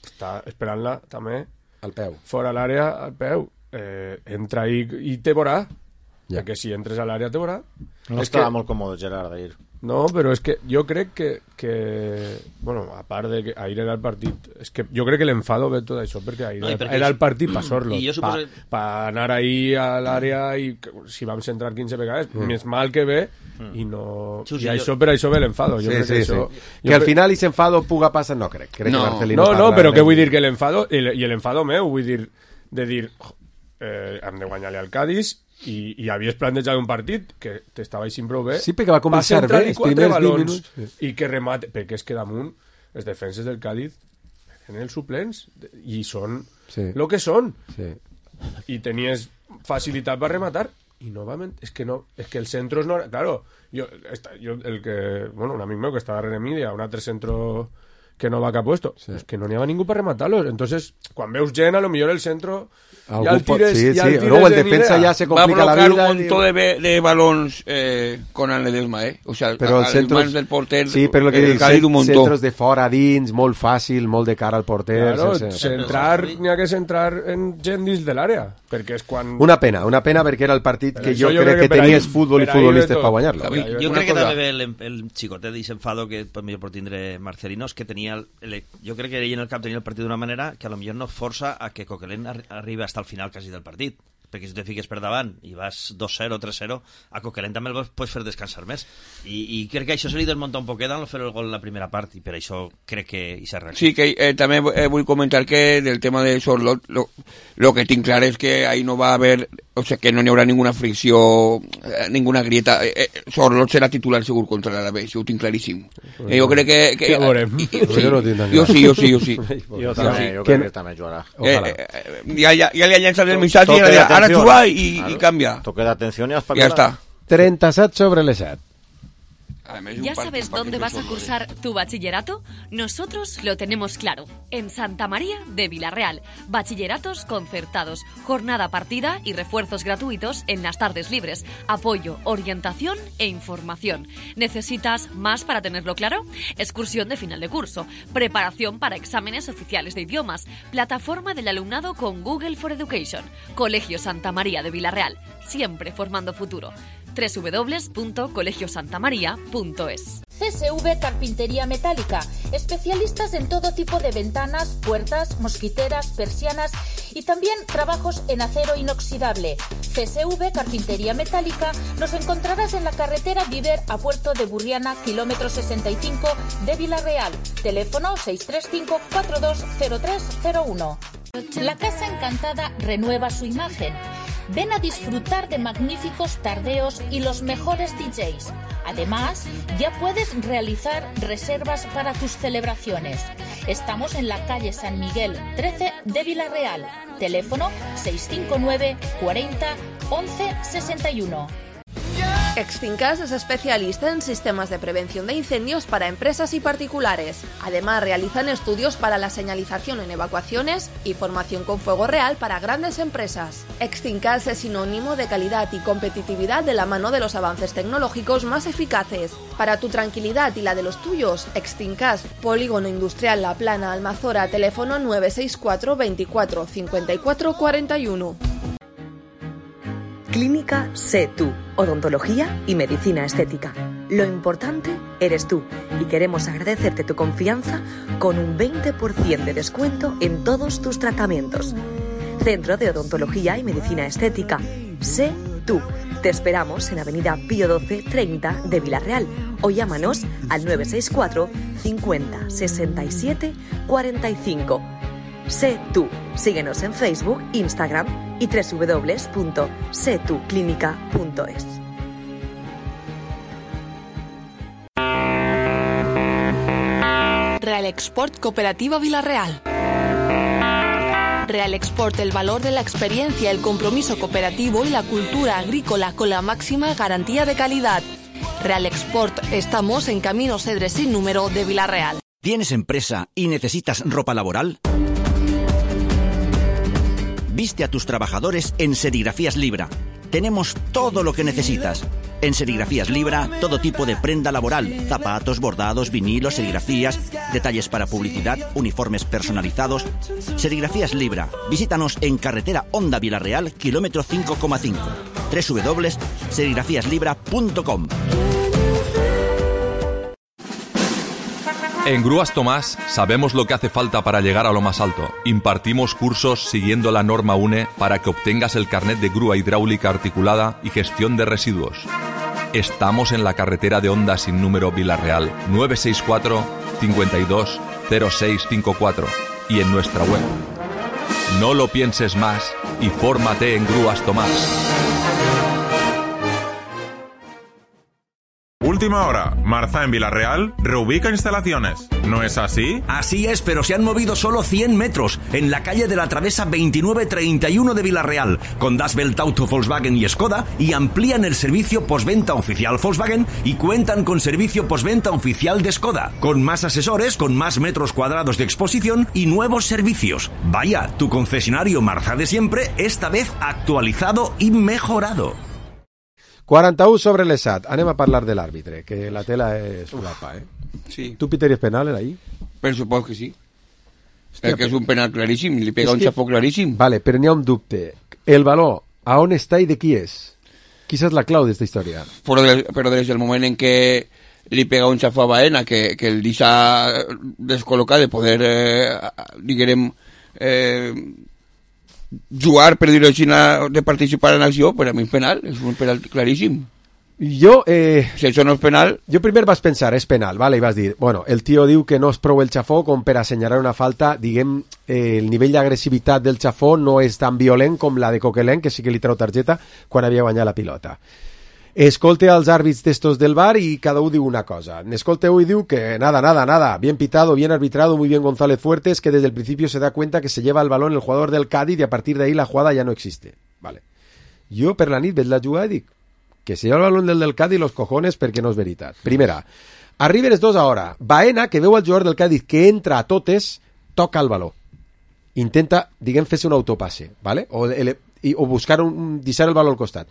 està esperant-la també al peu. Fora l'àrea, al peu. Entra i te veurà. Ja. Perquè si entres a l'àrea te veurà. No estava molt còmode Gerard d'ahir. No, però és que jo crec que bueno, a part de que ahir era el partit, és que jo crec que l'enfado ve tot això, perquè ahir era el partit per Sorlo, per anar ahir a l'àrea i si vam centrar 15 vegades, més mal que ve i no... I això per això ve l'enfado. Que al final i s'enfado puga passar, no crec. No, però què vull dir? Que l'enfado, i l'enfado meu, vull dir, de dir, hem de guanyar-li al Cádiz, i havies plantejat un partit que t'estava així prou bé. Sí, perquè va començar bé els primers 20 minuts. I que remate, perquè és que damunt les defenses del Cádiz en els suplents i són el que són. I tenies facilitat per rematar i novament, és que els centros no... Claro, jo un amic meu que està darrere mi, un altre centro que no va cap puesto, és que no n'hi ha ningú per rematar-los. Entonces, quan veus gent, a lo millor el centro ya el tires, luego el defensa ya se complica la vida. Va a bloquear un montón de balons con el Ledesma, o sea, pero a les mans del porter. Sí, però el que dic, centros de fora dins, molt fàcil, molt de cara al porter. Claro, n'hi ha que centrar en gent dins de l'àrea, perquè és quan... Una pena perquè era el partit que jo crec que tenies futbol i futbolistes per guanyar-lo. Jo crec que també el xicotet d'Ixenfado que millor pot tindre Marcelino és que tenia jo crec que ell en el cap tenia el partit d'una manera que a lo millor no força a que Coquelin arribi hasta el final quasi del partit, perquè si te fiques per davant i vas 2-0, 3-0, a Coquelin també el pots fer descansar més, i crec que això se li desmunta un poquet al fer el gol en la primera part, i per això crec que hi s'ha reaccionat. Sí, que també vull comentar que del tema de Sorlot lo que tinc clar és que ahí no va haver, o sea, que no hi haurà ninguna fricció, ninguna grieta. Sorlot serà titular segur contra l'Alavés, ho tinc claríssim. Jo crec que ja veurem. Jo sí. Jo crec que també jugarà. Ja li ha llançat el missatge i ara jugar i canvia. Toque d'atenció i ja està. 37 sobre les 7. ¿Ya sabes dónde vas a cursar tu bachillerato? Nosotros lo tenemos claro. En Santa María de Villarreal. Bachilleratos concertados, jornada partida y refuerzos gratuitos en las tardes libres. Apoyo, orientación e información. ¿Necesitas más para tenerlo claro? Excursión de final de curso. Preparación para exámenes oficiales de idiomas. Plataforma del alumnado con Google for Education. Colegio Santa María de Villarreal. Siempre formando futuro. www.colegiosantamaria.es. CSV Carpintería Metálica, especialistas en todo tipo de ventanas, puertas, mosquiteras, persianas y también trabajos en acero inoxidable. CSV Carpintería Metálica nos encontrarás en la carretera Viver a Puerto de Burriana, kilómetro 65 de Villarreal. Teléfono 635-420301. La Casa Encantada renueva su imagen. Ven a disfrutar de magníficos tardeos y los mejores DJs. Además, ya puedes realizar reservas para tus celebraciones. Estamos en la calle San Miguel 13 de Villarreal. Teléfono 659 40 11 61. Extincas es especialista en sistemas de prevención de incendios para empresas y particulares. Además, realizan estudios para la señalización en evacuaciones y formación con fuego real para grandes empresas. Extincas es sinónimo de calidad y competitividad de la mano de los avances tecnológicos más eficaces. Para tu tranquilidad y la de los tuyos, Extincas, Polígono Industrial La Plana, Almazora, teléfono 964 24 54 41. Clínica Sé Tú, odontología y medicina estética. Lo importante eres tú y queremos agradecerte tu confianza con un 20% de descuento en todos tus tratamientos. Centro de Odontología y Medicina Estética. Sé Tú. Te esperamos en Avenida Pío 12 30 de Villarreal o llámanos al 964 50 67 45. Sé Tú. Síguenos en Facebook, Instagram y www.setuclinica.es. Real Export Cooperativa Villarreal. Real Export, el valor de la experiencia, el compromiso cooperativo y la cultura agrícola con la máxima garantía de calidad. Real Export, estamos en Camino Cedre sin número de Vila-real. ¿Tienes empresa y necesitas ropa laboral? Viste a tus trabajadores en Serigrafías Libra. Tenemos todo lo que necesitas. En Serigrafías Libra, todo tipo de prenda laboral, zapatos, bordados, vinilos, serigrafías, detalles para publicidad, uniformes personalizados. Serigrafías Libra. Visítanos en carretera Honda Vila-real, kilómetro 5,5. www.serigrafíaslibra.com. En Grúas Tomás sabemos lo que hace falta para llegar a lo más alto. Impartimos cursos siguiendo la norma UNE para que obtengas el carnet de grúa hidráulica articulada y gestión de residuos. Estamos en la carretera de Honda sin número Vila-real, 964 52 0654 y en nuestra web. No lo pienses más y fórmate en Grúas Tomás. Última hora, Marza en Vila-real reubica instalaciones. ¿No es así? Así es, pero se han movido solo 100 metros en la calle de la Travesa 2931 de Vila-real, con Das Welt Auto Volkswagen y Skoda, y amplían el servicio postventa oficial Volkswagen y cuentan con servicio postventa oficial de Skoda, con más asesores, con más metros cuadrados de exposición y nuevos servicios. Vaya, tu concesionario Marza de siempre, esta vez actualizado y mejorado. 41 sobre l'Esat. Anem a parlar de l'àrbitre, que la tela és guapa, Sí. ¿Tu pitaries penal ahí? Per suposo que sí. Hòstia, que és un penal claríssim, li pega un xafó claríssim. Vale, però n'hi ha un dubte. El valor, a on està i de qui és? Quina és la clau d'esta història? Però des del moment en què li pega un xafó a Baena, que el deixa descol·locat de poder, diguem, jugar, per dir-ho així, de participar en acció, per a mi és penal, és un penal claríssim. Si això no és penal... Jo primer vas pensar, és penal, vale, i vas dir, bueno, el tio diu que no és prou el xafó com per assenyalar una falta, diguem, el nivell d'agressivitat del xafó no és tan violent com la de Coquelin, que sí que li treu targeta quan havia guanyat la pilota. Escolte als àrbits d'estos del VAR y cada uno diu una cosa. Escolte hoy diu que nada, bien pitado, bien arbitrado, muy bien González Fuertes, que desde el principio se da cuenta que se lleva el balón el jugador del Cádiz y a partir de ahí la jugada ya no existe. Vale. Jo per la nit veig la jugada i dic que se lleva el balón del Cádiz los cojones perquè no és veritat. Primera, arriben els dos ahora. Baena, que veu el jugador del Cádiz que entra a totes, toca el baló. Intenta, diguem, fer-se un autopasse, ¿vale? O buscar deixar el baló al costat.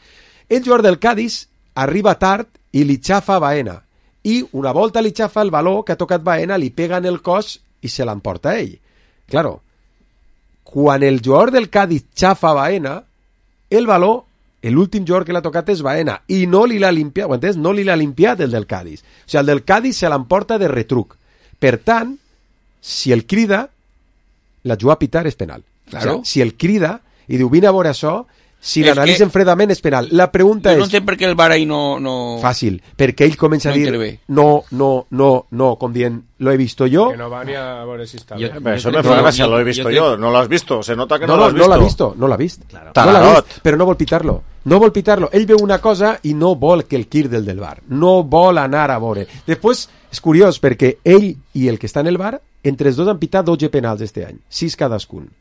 El jugador del Cádiz arriba tard i li xafa a Baena. I una volta li xafa el baló que ha tocat Baena, li pega en el cos i se l'emporta ell. Claro, quan el jugador del Cádiz xafa a Baena, el baló, l'últim jugador que l'ha tocat és Baena i no li l'ha limpiat, ho entens? No li l'ha limpiat el del Cádiz. O sigui, el del Cádiz se l'emporta de retruc. Per tant, si el crida, la juga a pitar és penal. Claro. O sigui, si el crida i diu vine a veure això, si l'analitzen fredament és penal. La pregunta és... No entenc per què el VAR ahí no... Fàcil, perquè ell comença a dir no, com dient, lo he visto yo. Que no va ni a veure si està bé. Eso me fa gràcia, lo he visto yo. No lo has visto, se nota que no lo has visto. No l'ha vist. Claro. No l'ha vist, però no vol pitar-lo. No vol pitar-lo. Ell veu una cosa i no vol que el quir del VAR. No vol anar a veure. Després, és curiós, perquè ell i el que està en el VAR, entre els dos han pitat 12 penals este any, 6 cadascun.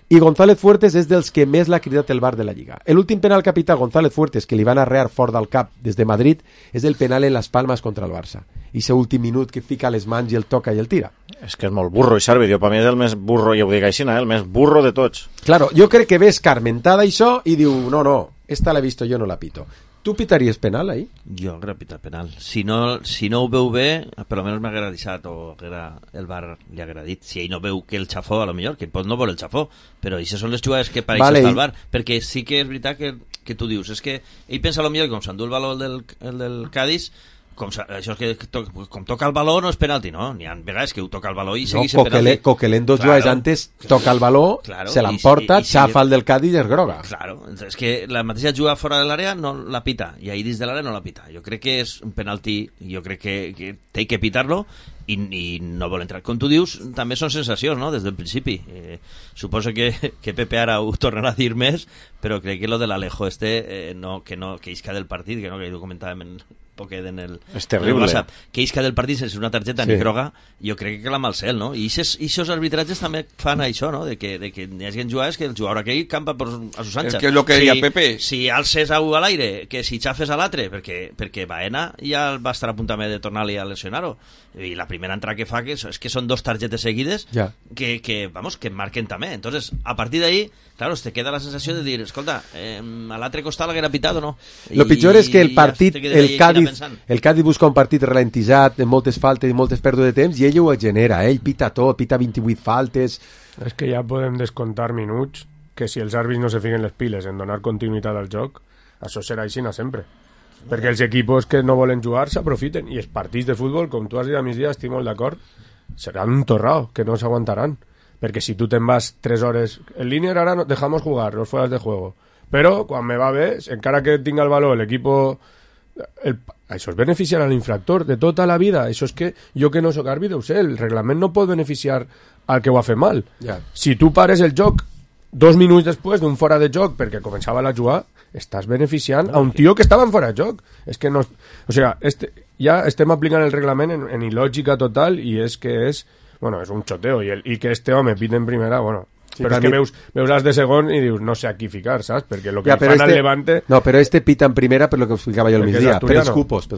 I González Fuertes és dels que més l'ha cridat el VAR de la Lliga. L'últim penal que ha pitat González Fuertes, que li van arrear fort del cap des de Madrid, és el penal en les Palmes contra el Barça. I ese últim minut que fica les mans i el toca i el tira. És que és molt burro, i Sarvi, per mi és el més burro, i ho dic així, el més burro de tots. Claro, jo crec que ve escarmentada això i diu, no, esta l'he visto, jo no la pito. Tu pitaries penal ahí? Jo crec pitar penal. Si no ho veu bé, per almenys m'haguera deixat o el VAR li haguera dit. Si ell no veu que el xafó, a lo millor, que pot no veure el xafó, però això són les jugades que per això està el VAR. Perquè sí que és veritat que tu dius, és que ell pensa a lo millor que com s'endú el baló el del Cádiz, això és que com toca el baló no és penalti, no? N'hi ha vegades que ho toca el baló i segueix sent penalti. Coquelin dos jugades antes toca el baló, se l'emporta, xafa el del Cádiz i és groga. Claro, és que la mateixa juga fora de l'àrea no la pita, i ahí dins de l'àrea no la pita. Jo crec que és un penalti, jo crec que té que pitar-lo i no vol entrar. Com tu dius, també són sensacions, no?, des del principi. Suposo que Pepe ara ho tornarà a dir més, però crec que lo de l'Alejo que isca del partit, que ho comentàvem poquet en el WhatsApp, que isca del partit sense una targeta ni groga, jo crec que clama al cel, no? I aquests arbitratges també fan això, no? De que hi hagi jugades que el jugador aquell campa a sus anchas. Que és el que deia Pepe. Si alces a un a l'aire, que si xafes a l'altre, perquè Baena ja va estar a punt també de tornar-li a lesionar-ho. I la primera entrada que fa és que són 2 targetes seguides que marquen també. Entonces, a partir d'ahí, claro, te queda la sensació de dir, escolta, a l'altre costat l'haguera pitat o no? Lo pitjor és que el partit, el Cádiz busca un partit ralentitzat, amb moltes faltes i moltes pèrdues de temps, i ell ho genera, ell pita tot, pita 28 faltes. És que ja podem descomptar minuts que si els àrbits no se fiquen les piles en donar continuïtat al joc, això serà així sempre. Perquè els equipos que no volen jugar s'aprofiten, i els partits de futbol, com tu has dit a migdia, estic molt d'acord, seran un torrao, que no s'aguantaran. Perquè si tu te'n vas 3 hores en línia, ara no, dejamos jugar los fueras de juego, però quan me va bé, encara que tinga el valor l'equipo, això és beneficiar a l'infractor de tota la vida. Això és que jo, que no soc àrbitre, ho sé, el reglament no pot beneficiar al que ho ha fet mal. Si tu pares el joc 2 minuts després d'un fora de joc perquè començava a jugar, estàs beneficiant a un tio que estava en fora de joc. És que no, o sigui, ja estem aplicant el reglament en il·lògica total, i és que és un xoteo, i que este home pita en primera, sí, però és que veus les de segon i dius, no sé a qui ficar, saps? Perquè el que fan al Levante... No, però pita en primera per lo que explicava jo al migdia, pels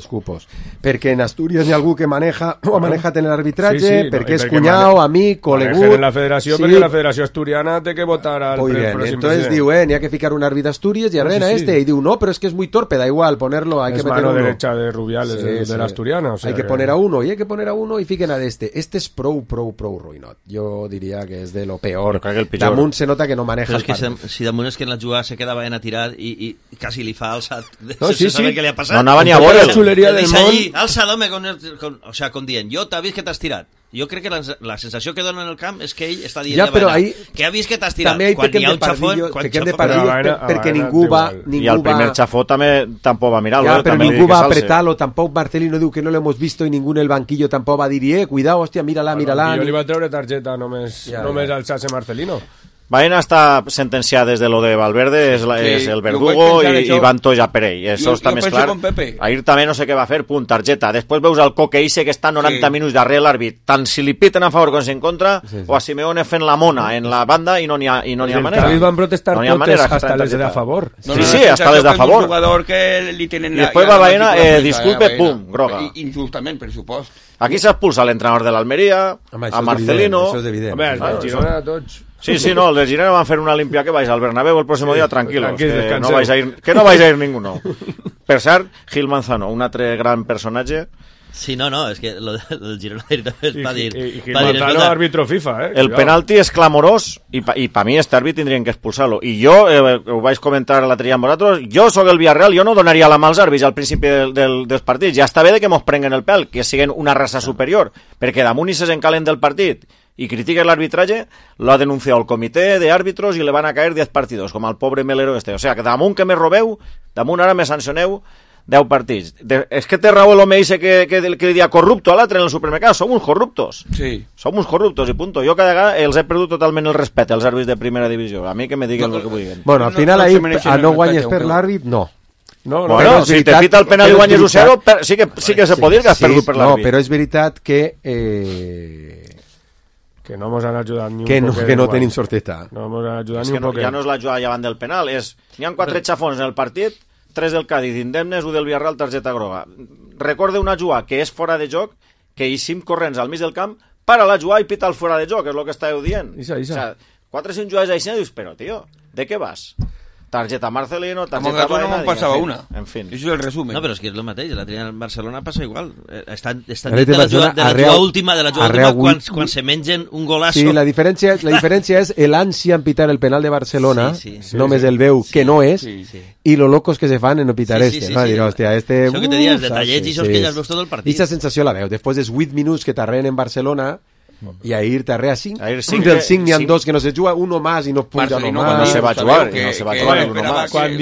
cupos. Perquè en Astúries hi ha algú que maneja o ha manejat en l'arbitratge, perquè és cunyau, amic, conegut... en la federació, perquè la federació asturiana té que votar al pròxim entonces diu, n'hi ha que ficar un àrbit d'Astúries i arrena i diu, no, però és que és muy torpe, da igual, ponerlo, hay que meter uno. Es mano derecha de Rubiales, de la asturiana. Hay que poner a uno, y hay que poner a uno, y fiquen a este. Este és prou ruïnot. Jo diria que és de lo peor. Damunt se nota que no maneja el partit. Si damunt és que en la jugada se queda Baena tirat i quasi li fa alçat sense saber què li ha passat. No anava ni a veure la xuleria del món. Alçat, home, o sea, com dient, jo t'ha vist que t'has tirat. Jo crec que la sensació que dona en el camp és que ell està dient de Baena que ha vist que t'has tirat. Quan hi ha un xafó... Perquè ningú va... I el primer xafó tampoc va mirar-lo. Però ningú va apretar-lo, tampoc Marcelino diu que no lo hemos visto i ningú en el banquillo tampoc va dir, cuidado, hòstia, mírala. Jo li va treure targeta només alçar-se Marcelino. Baena està sentenciat des de lo de Valverde, és el verdugo i van tots a per ell. Això està més clar. Ahir també no sé què va fer, punt, targeta. Després veus el Coque Isse que està 90 minuts darrere l'àrbit, tant si li piten a favor com si en contra, o a Simeone fent la mona en la banda i no n'hi ha manera. El Cádiz van protestar totes hasta les de a favor. Sí, hasta les de a favor. I després va Baena, disculpe, pum, groga. Injustament, per supost. Aquí s'expulsa l'entrenador de l'Almeria, a Marcelino... Home, el Girona tots... Sí, no, els de Girona van fer una limpia que vais al Bernabéu el próximo dia, tranquilos, que no vais a ir ninguno. Per cert, Gil Manzano, un altre gran personatge. Sí, no, és que el Girona va dir... I Gil Manzano, àrbitro FIFA, El penalti és clamorós i per mi este àrbit tindrien que expulsar-lo. I jo, ho vaig comentar l'altre dia amb vosaltres, jo sóc el Villarreal, jo no donaria la mà als àrbits al principi dels partits. Ja està bé de que mos prenguen el pèl, que siguin una raça superior, perquè damunt i se s'encalen del partit y critica el arbitraje, lo ha denunciado el comité de árbitros y le van a caer 10 partidos, com al pobre Melero este. O sea, que damunt que me robeu, damunt ara me sancioneu 10 partits. És que té raó l'home que li dia corrupto a l'altre en el supermercat. Som uns corruptos. Sí. Som uns corruptos i punto. Jo cada vegada els he perdut totalment el respecte als àrbits de primera divisió. A mi que me diguen el que vulguin. Bueno, al final ahí no guanyes per l'àrbit, no. Bueno, si te pita el penal i guanyes 1-0, sí que se pot dir que has perdut per l'àrbit. No, però és veritat que no ens han ajudat ni un poc. Que no tenim sorteta. No ens han ajudat ni un poc. Ja no és la jugada davant del penal, n'hi ha 4 xafons en el partit, 3 del Cádiz indemnes, 1 del Villarreal, targeta groga. Recorde una jugada que és fora de joc, que eixim corrents al mig del camp, para la jugada i pita el fora de joc, és el que estàveu dient. O sea, 4 o 5 jugades així, dius, però, tio, ¿de què vas? Targeta Marcelino, targeta Baena... No pasaba una. En fin. Eso es el resumen. No, pero es que es lo mateix. La tria en Barcelona passa igual. Estan de la jugada última, quan se mengen un golazo. Sí, la diferència és l'ànsia en pitar el penal de Barcelona, només el veu que no és, i lo locos que se fan en no pitar este. Va dir, hòstia, este... Això que te dies, detallets i això que ja has vist tot el partit. Aquesta sensació la veu. Després dels 8 minuts que t'arreen en Barcelona, i ahir t'arrea 5. Del 5 n'hi ha 2 que no se juga, uno más i no puja no más. No se va jugar, no se va jugar uno más. Quan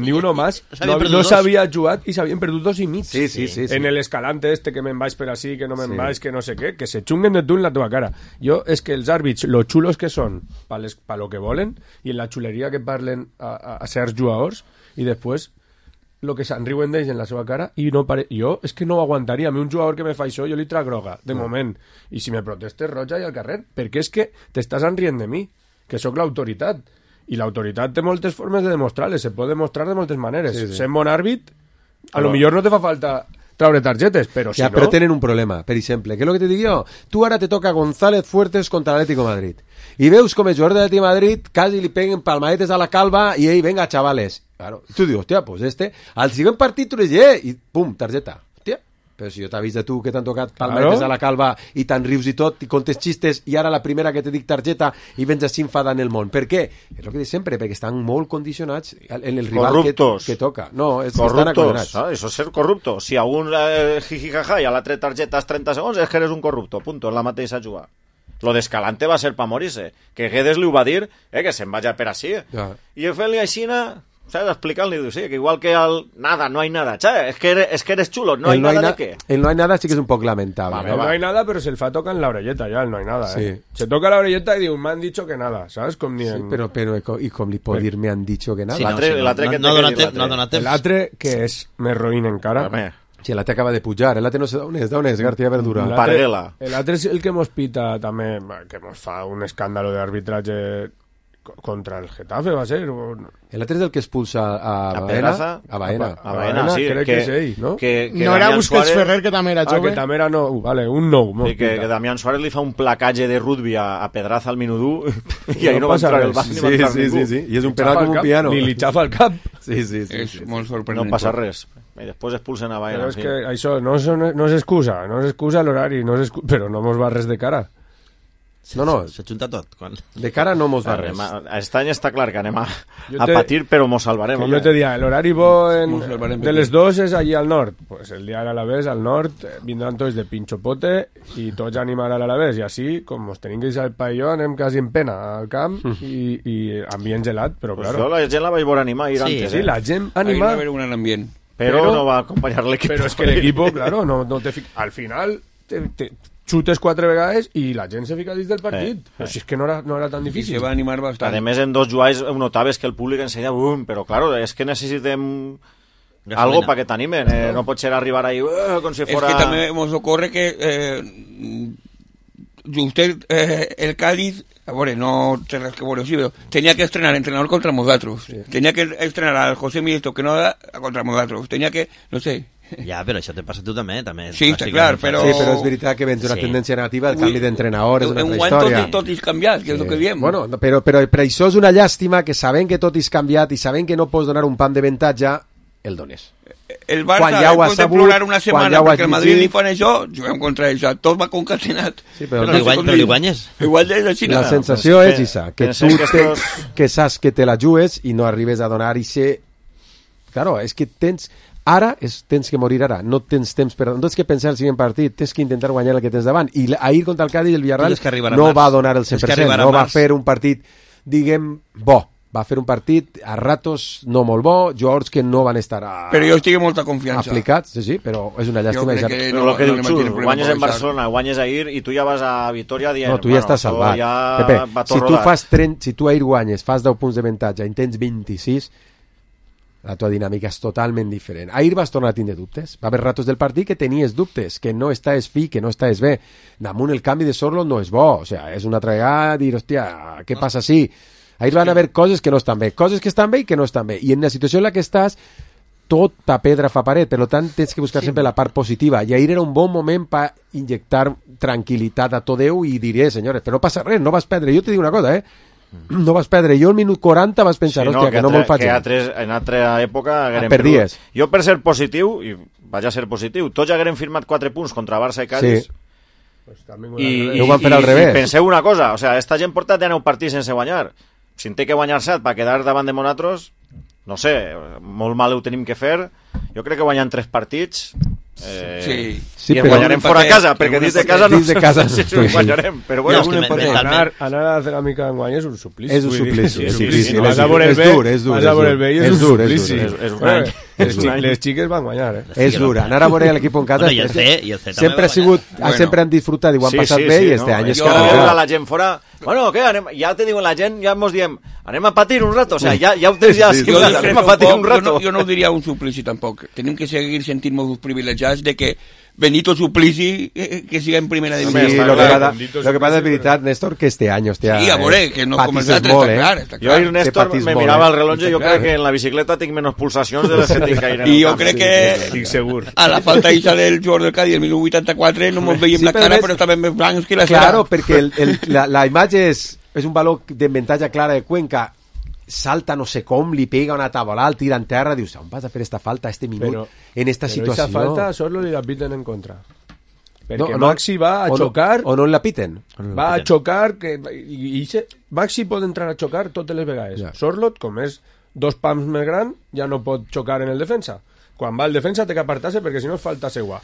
diu uno más, no s'havia jugat i s'havien perdut 2 i mig. Sí. En el escalante este que me'n vaig per així, que no me'n vaig, que no sé què, que se xunguen de tu en la teva cara. Jo, és que els àrbits, lo xulos que són pa lo que volen, i en la xuleria que parlen a certs jugadors, i després el que se'n riuen d'ells en la seva cara i no jo és que no ho aguantaria. A mi un jugador que me fa això jo li trac groga, de moment, i si me protestes roja i al carrer, perquè és que t'estàs enrient de mi, que sóc l'autoritat, i l'autoritat té moltes formes de demostrar-les, se pot demostrar de moltes maneres. Sent bon àrbit, a lo millor no te fa falta traure targetes, però si no... Però tenen un problema, per exemple, què és el que te dic jo? Tu ara te toca González Fuertes contra l'Atlético de Madrid, i veus com el jugador de l'Atlético de Madrid quasi li peguen palmadetes a la calva i ell, venga, chavales. Claro, tu dius, hòstia, pues al siguiente partit tu les i pum, targeta. Hòstia, però si jo t'he vist de tu que t'han tocat palmadetes a la calva i te'n rius i tot, i contes xistes, i ara la primera que te dic targeta i vens així enfadant el món. Per què? És el que dic sempre, perquè estan molt condicionats en el rival que toca. No, és que estan acondenats. Això és ser corrupto. Si a un jijijaja i a l'altre targeta és 30 segons, és que eres un corrupto, punto, és la mateixa jugada. Lo d'Escalante va ser pa morir-se, que Guedes li ho va dir, que se'n vaya per així. I el fer-li aixina... ¿Sabes? Explicarle, sí, que igual que al nada, no hay nada, ¿sabes? Es que eres chulo, no hay nada de qué. El no hay nada sí que es un poco lamentable. Vale, no hay nada, pero se el fa toca en la orelleta ya, el no hay nada, sí. Se toca la orelleta y digo, me han dicho que nada, ¿sabes? Com ni en... Sí, pero y com li pot dir me han dicho que nada. Sí, l'altre que és més roïn encara. Si l'altre acaba de pujar, l'altre no sé d'on és, García Verdura. Parguela. L'altre és el que mos pita també, que mos fa un escàndalo d'arbitratge contra el Getafe, va ser. El altre és el que expulsa a Baena. A Baena, sí. Crec que és ell, no? No era Busquets Ferrer, que també era jove. Que també era no, vale, un nou. Sí, que Damián Suárez li fa un placatge de rugby a Pedraza al minut 1 i ahí no va entrar el banc ni va entrar ningú. Sí, i és un penal com un piano. Li xafa el cap. Sí. És molt sorprenent. No passa res. I després expulsen a Baena. Però és que això no s'excusa l'horari, però no mos va res de cara. No. S'ha juntat tot. De cara no mos va res. Aquest any està clar que anem a patir, però mos salvarem. Jo te diria, l'horari bo de les 2 és allí al nord. Pues el dia de l'Alavés, al nord, vindran tots de pinchopote i tots a animar a l'Alavés. I així, com ens tenim que ir al pavelló, anem quasi en pena al camp i ambient gelat, però pues claro. Jo la gent la vaig veure animar ahir antes. Sí, la gent animar. Ahí va haver un ambient. Però no va acompanyar l'equip. Però és que l'equip, claro, no te al final xutes 4 vegades i la gent se fica dins del partit. Però si és que no era tan difícil. I se va animar bastant. A més, en 2 jugades notaves que el públic ensenya però claro, és que necessitem algo para que t'animen. No pot ser arribar ahí com si fora... Es que també ens ocorre que usted, el Cádiz, a veure, no té res que veure, sí, però tenia que estrenar entrenador contra nosaltres. Tenia que estrenar al José Milito que no da contra nosaltres. Tenia que, no sé... Ja, però això te passa a tu també. Sí, està clar, però... Sí, però és veritat que vens una tendència negativa, el canvi d'entrenador és una altra història. Tot és canviat, que és el que diem. Bueno, però per això és una llàstima que sabent que tot és canviat i sabent que no pots donar un pam de avantatge, el dones. El Barça, després de plorar una setmana perquè el Madrid li fan això, juguem contra això, tot va concatenat. Sí, però li guanyes. La sensació és això, que tu que saps que te la jugues i no arribes a donar i ser... Claro, és que tens que morir ara, no tens temps no tens que pensar el següent partit, tens que intentar guanyar el que tens davant, i ahir contra el Cádiz el Villarreal no va donar el 100%, no va fer un partit, diguem, bo, va fer un partit a ratos no molt bo, jugadors que no van estar però jo estic amb molta confiança aplicats, sí, però és una llàstima però el que diu Xur, guanyes en Barcelona, guanyes ahir i tu ja vas a Vitoria dient, no, tu ja estàs salvat, Pepe, si tu ahir guanyes, fas 10 punts d'avantatge i tens 26, la tua dinàmica és totalment diferent. Ahir vas tornar a tindre dubtes. Va haver ratos del partit que tenies dubtes, que no estàs fi, que no estàs bé. Damunt el canvi de Sorloth no és bo. O sea, és una altra vegada dir, hòstia, què passa així? Ahir van haver coses que no estan bé, coses que estan bé i que no estan bé. I en la situació en la que estàs, tota pedra fa paret, per tant tens que buscar sempre la part positiva. I ahir era un bon moment per inyectar tranquil·litat a tot Déu i dir, senyores, però no passa res, no vas perdre. Jo te dic una cosa, no vas perdre. Jo al minut 40 vas pensar, hòstia, que no me'l faig. En altra època haguem perdies. Jo per ser positiu, i vaig a ser positiu, tots haguem firmat 4 punts contra Barça i Cádiz, i ho van fer al revés. I penseu una cosa, o sea, esta gent porta 19 partits sense guanyar. Si en té que guanyar 7 per quedar davant de nosaltres, no sé, molt mal ho tenim que fer. Jo crec que guanyant 3 partits i en guanyarem fora a casa, perquè dins de casa no sé si ho guanyarem, però bueno, anar a la ceràmica d'enguany és un suplici. És un suplici. Vas a veure el bé i és un suplici. És un any. Les xiques van guanyar, És dur, anar a veure l'equip en casa sempre ha sigut, sempre han disfrutat i ho han passat bé, i este any és que la gent fora Bueno, què? Ja te diuen la gent, ja mos diem, anem a patir un rato, o sea, ja ho tens ja, anem a patir un rato. Jo no ho diria un suplici tampoc. Tenim que seguir sentint-nos privilegiats de que Benito Suplici que siga en primera división. Sí, lo que pasa es veritat, Néstor, que este año hostia, sí, amore, que no començat molt, està clar. Jo ahir, Néstor, me mirava el rellotge i jo crec que en la bicicleta tinc menys pulsacions de les que tinc ahir en el camp. I jo crec que estic segur. A la falta ixa del jugador del Cádiz el 1984 no mos veiem la cara, però estaven més blancs que la cera. Claro, perquè la imatge és un valor d'avantatge clara de Cuenca. Salta no sé com, li pega una tabola, el tira en terra, dius, on vas a fer esta falta este minut en esta situació? Però esa falta solo li la piten en contra. Perquè Maxi va a xocar... O no la piten. Va a xocar... Maxi pot entrar a xocar totes les vegades. Sorlot, com és 2 pams més gran, ja no pot xocar en el defensa. Quan va el defensa té que apartar-se perquè si no és falta seua.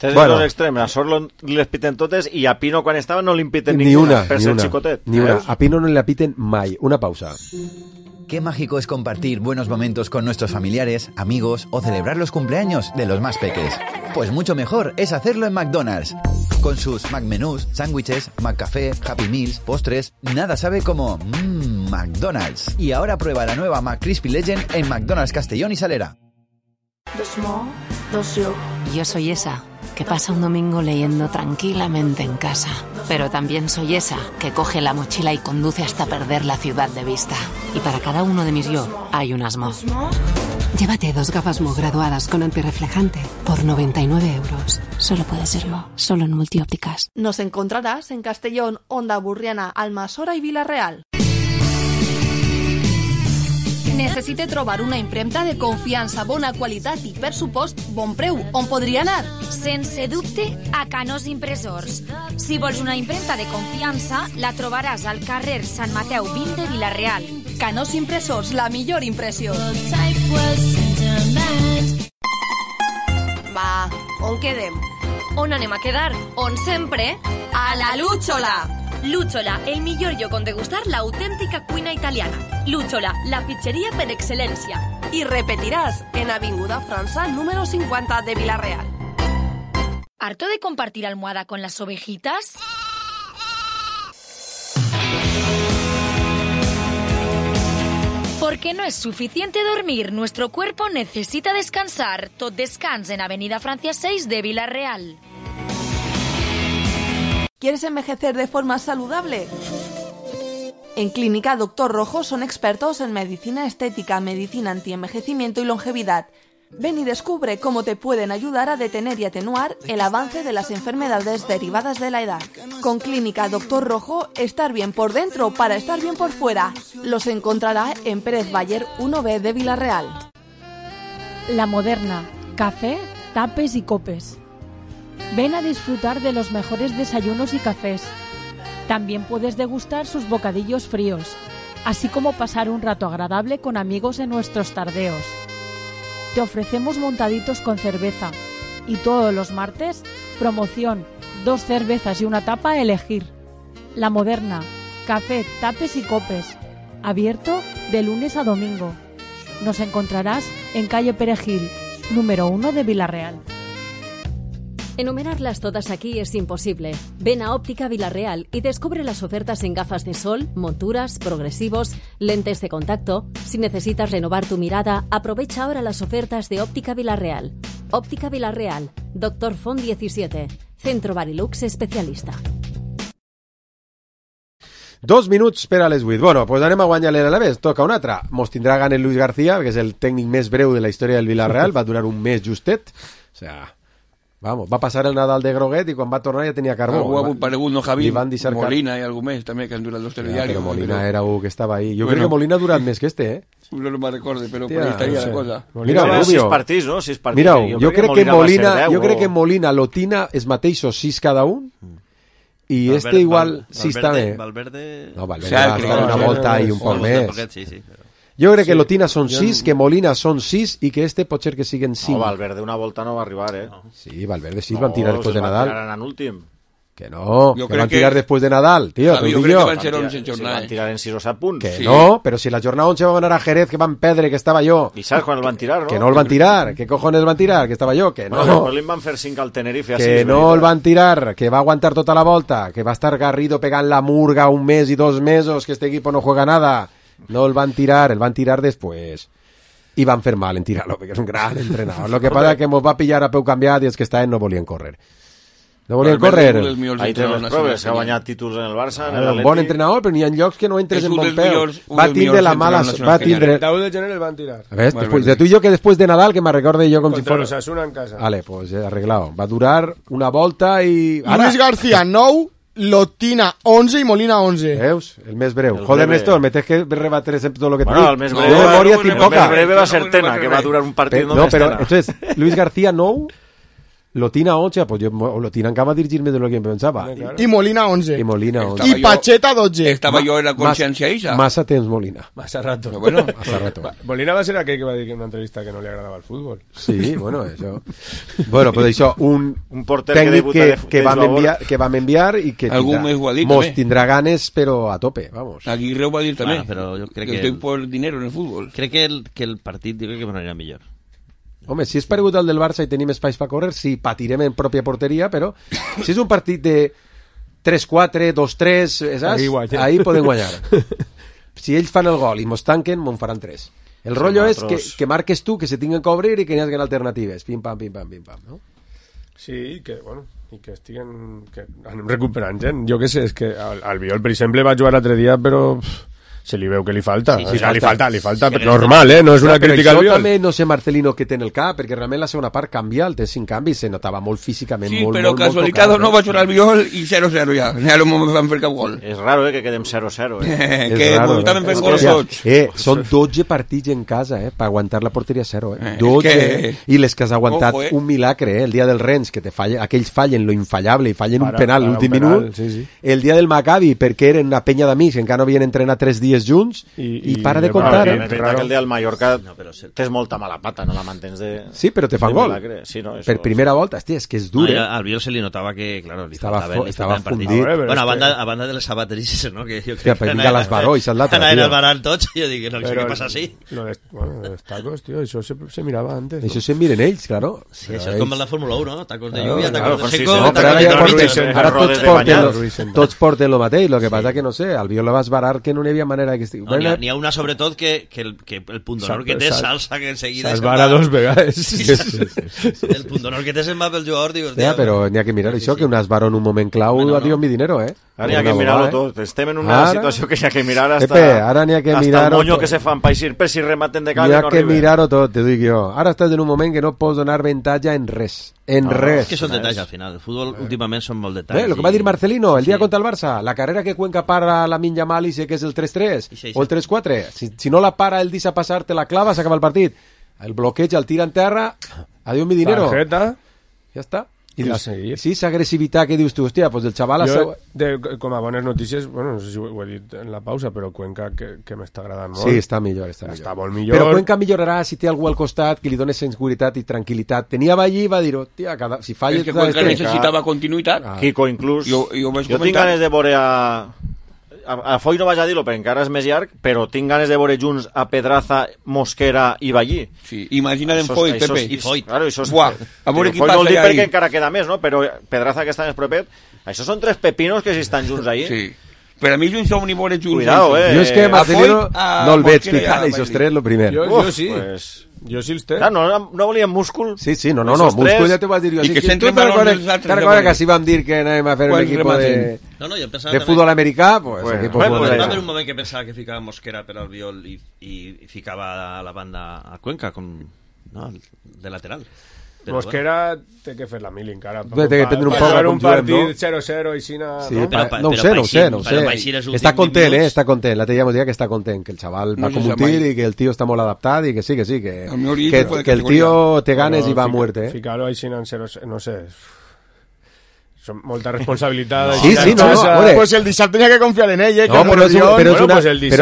Tens dos extremes, a Sorlot les piten totes i a Pino quan estava no li piten ninguna per ser xicotet. Ni una. A Pino no le piten mai. Una pausa. Qué mágico es compartir buenos momentos con nuestros familiares, amigos o celebrar los cumpleaños de los más peques. Pues mucho mejor es hacerlo en McDonald's. Con sus McMenús, sándwiches, McCafé, Happy Meals, postres, nada sabe como McDonald's. Y ahora prueba la nueva McCrispy Legend en McDonald's Castellón y Salera. Yo soy esa que pasa un domingo leyendo tranquilamente en casa. Pero también soy esa que coge la mochila y conduce hasta perder la ciudad de vista. Y para cada uno de mis yo hay un Asmo. Llévate 2 gafas Mo graduadas con antirreflejante por 99 euros. Solo puede ser Mo, solo en Multiópticas. Nos encontrarás en Castellón, Onda Burriana, Almassora i Vila-real. Necessite trobar una impremta de confiança, bona qualitat i, per supost, bon preu. On podria anar? Sense dubte, a Canós Impressors. Si vols una impremta de confiança, la trobaràs al carrer Sant Mateu 20 de Vila-real. Canós Impressors, la millor impressió. Va, on quedem? On anem a quedar? On sempre? A la Lúchola! Lúchola, el millor lloc on degustar l'autèntica cuina italiana. Lúchola, la pizzeria per excel·lència. I repetiràs en Avinguda França, número 50 de Vila-real. ¿Harto de compartir almohada con las ovejitas? Porque no es suficiente dormir, nuestro cuerpo necesita descansar. Tot descans en Avenida Francia 6 de Vila-real. ¿Quieres envejecer de forma saludable? En Clínica Dr. Rojo son expertos en medicina estética, medicina antienvejecimiento y longevidad. Ven y descubre cómo te pueden ayudar a detener y atenuar el avance de las enfermedades derivadas de la edad. Con Clínica Dr. Rojo, estar bien por dentro para estar bien por fuera. Los encontrará en Pérez Bayer 1B de Vila-real. La Moderna, café, tapes y copes. Ven a disfrutar de los mejores desayunos y cafés. También puedes degustar sus bocadillos fríos, así como pasar un rato agradable con amigos en nuestros tardeos. Te ofrecemos montaditos con cerveza y todos los martes, promoción, 2 cervezas y una tapa a elegir. La Moderna, café, tapes y copes. Abierto de lunes a domingo. Nos encontrarás en calle Perejil, número 1 de Vila-real. Enumerarlas todas aquí es imposible. Ven a Óptica Vila-real y descubre las ofertas en gafas de sol, monturas, progresivos, lentes de contacto. Si necesitas renovar tu mirada, aprovecha ahora las ofertas de Óptica Vila-real. Óptica Vila-real, Dr. Font 17, Centro Barilux especialista. 2 minuts per a les 8. Bueno, pues anem a guanyar l'Alavés. Toca un altre. Mos tindrà gana el Luis García, que és el tècnic més breu de la història del Vila-real. Va durar un mes justet. O sea... Vamos, va passar el Nadal de groguet i quan va tornar ja tenia carbó. Algú ha aparegut, no, Javi? Molina i algú més, també, que han durat los telediarios. Però Molina era un que estava ahí. Jo crec que Molina ha durat més que este, ¿eh? No me recordo, però por ahí estaria la cosa. Mira, Rubio. 6 partits, no? 6 partits. Mira, jo crec que Molina, Lotina, els mateixos 6 cada un, i este igual 6 també. Valverde... No, Valverde va estar una volta i un poc més. Sí, però... Jo crec que Lotina són 6, que Molina són 6 i que este pot ser que siguen 5. No, Valverde una volta no va arribar, eh? Sí, Valverde sí, van tirar después de Nadal. Van tirar en últim. Que no, que van tirar después de Nadal, tío. Jo crec que van ser 11 jornades. Si van tirar en 6 o 7 punts. Que no, pero si la jornada 11 va a ganar a Jerez, que van perdre, que estava jo. I saps quan el van tirar, no? Que no el van tirar. ¿Qué cojones van tirar? Que estava jo. Que no. Bueno, li van fer 5 al Tenerife. Que no el van tirar, que va a aguantar tota la volta, que va a estar Garrido pegant la murga 1 mes y 2 mesos, que este equipo no juega nada. No el van tirar después. I van fer mal en tirar-lo, perquè és un gran entrenador. Lo que passa que mos va pillar a peu canviat i els que estaven no volien córrer. No volien córrer. Ahí té les proves, ha guanyat títols en el Barça, en un bon entrenador, però n'hi ha llocs que no entres en bon peu. Va tindre la mala... Va tindre... El 10 de gener el van tirar. ¿Ves? Después de tú y yo, que después de Nadal, que me recorde yo como si fuera... Contra l'Osasuna en casa. Vale, pues arreglado. Va a durar una volta i... Luis García 9, Lotina 11 i Molina 11. Veus? El més breu. Joder, Néstor, me tens que rebater tot lo que te dic. El més breu va ser Tena, que va durar un partit només Tena. No, però, entonces, Luis García 9... Lotina 11, pues yo Lotina acaba de dirigirme de lo que pensaba. I Molina 11. I Molina 11. I Pacheta 12. Estava jo en la consciència eixa. Massa temps Molina. Massa rato. Bueno, massa rato. Molina va ser aquell que va dir en una entrevista que no li agradava el futbol. Sí, bueno, això. Bueno, pues això, un porter tècnic que vam enviar i que mos tindrà ganes, però a tope, vamos. Aguirre ho va dir també. Però jo crec que estoy por dinero en el futbol. Crec que el partit diu que m'anirà millor. Home, si és paregut al del Barça i tenim espais per córrer, sí, patirem en pròpia porteria, però si és un partit de 3-4, 2-3, saps? Ahí podem guanyar. Si ells fan el gol i mos tanquen, mos faran 3. El rotllo és que marques tu, que se tinguen que obrir i que n'hi hagi alternatives. Pim-pam, pim-pam, pim-pam, no? Sí, que, bueno, i que estiguen... que anem recuperant gent. Jo què sé, és que al Biol, per exemple, va jugar l'altre dia, però... se li veu que li falta. Sí, li falta normal, no és una crítica al Biol. Jo també no sé Marcelino què té en el cap, perquè realment la segona part canvia, el té 5 canvis, se notava molt físicament, sí, molt, però casualitat no va jugar al Biol i 0-0 ja. Ja no van fer cap gol. És raro, que quedem 0-0. Que també fem gols tots. Són 12 partits en casa, per aguantar la porteria 0, 12. I les que has aguantat un milagre, el dia del Rennes, que aquells fallen lo infallable i fallen un penal l'últim minut. El dia del Maccabi, perquè eren una penya d'amics, encara no havien entrenat 3 dies junts i para de contar. És veritat que el dia del Mallorca tens molta mala pata, no la mantens de... Sí, però te fan gol. Per primera volta, hòstia, és que és dur. Al Biol se li notava que, claro, li estava fundit. Bueno, a banda de les sabateries, no? Que jo crec que vinga l'Esbaró i s'ha l'altre, tio. Anaven tots i jo dic, no sé què passa així. Bueno, los tacos, tío, això se mirava antes. Això se miren ells, claro. Sí, això és com en la Fórmula 1, no? Tacos de lluvia, tacos de seco, tacos de tormenta. Tots porten lo mateix, lo que passa que no sé, al Biol la vas barar que no hi havia manera que estigui. N'hi ha una sobretot que el punt d'honor que té salsa que enseguida... S'esbara 2 vegades. El punt d'honor que té se'n va pel jugador, dius... Ja, però n'hi ha que mirar això, que un esbaro en un moment clau adiós mi dinero, Ara n'hi ha que mirar-ho tot. Estem en una situació que n'hi ha que mirar hasta el moño que se fan paisir per si rematen de cal i no arriben. N'hi ha que mirar-ho tot, te dic jo. Ara estàs en un moment que no pots donar avantatge en res. En res. És que són detalls al final. El futbol últimament són molt detalls. El que va dir Marcelino el dia contra el Barça, la carrera que Cuenca para la Minya Mali sé que és el 3-3 o el 3-4. Si no la para el deixa passar, te la clava, s'acaba el partit. El bloqueig, el tira en terra, adiós mi dinero. Tarjeta. Ja està. I sí, esa agressivitat que dius tu, hòstia, pues el xaval... Com a bones notícies, bueno, no sé si ho he dit en la pausa, però Cuenca que m'està agradant molt. Sí, està millor. Està molt millor. Però Cuenca millorarà si té algú al costat que li doni seguretat i tranquil·litat. Tenia allí i va dir, hòstia, si falla... És que Cuenca necessitava continuïtat. Quico, inclús. Jo tinc ganes de veure a Foy no vaig a dir-lo perquè encara és més llarg, però tinc ganes de veure junts a Pedraza, Mosquera i Ballí. Sí, imagina't en Foy, Pepe. I Foy. Claro, a veure qui passa vol dir perquè encara queda més, no? Però Pedraza que està més propet, això són 3 pepinos que si estan junts ahí. Sí. Per a mi junts som ni veure junts. Cuidado, Jo és que Marcelino no el veig picant, això és 3 lo primer. Jo sí. Jo sí els té. No volíem múscul. Sí, no, múscul ja t'ho vas dir jo. I que s'entren valors els altres. Te'n recordes que així vam dir que anàvem a fer un equip de futbol americà? Pues va haver un moment que pensava que ficava Mosquera per al Biol i ficava a la banda a Cuenca de lateral. Mosquera té que fer la mili encara. Té que prendre un poc un partit 0-0 i Xina... No ho sé. Està content, està content. L'altre dia m'ho deia que està content, que el xaval va com un tir i que el tio està molt adaptat i que sí, que el tio té ganes i va a muerte. Ficar-ho a Xina en 0-0, no sé... molta responsabilitat. Sí, no. Pues el dissabte tenia que confiar en ell, No, però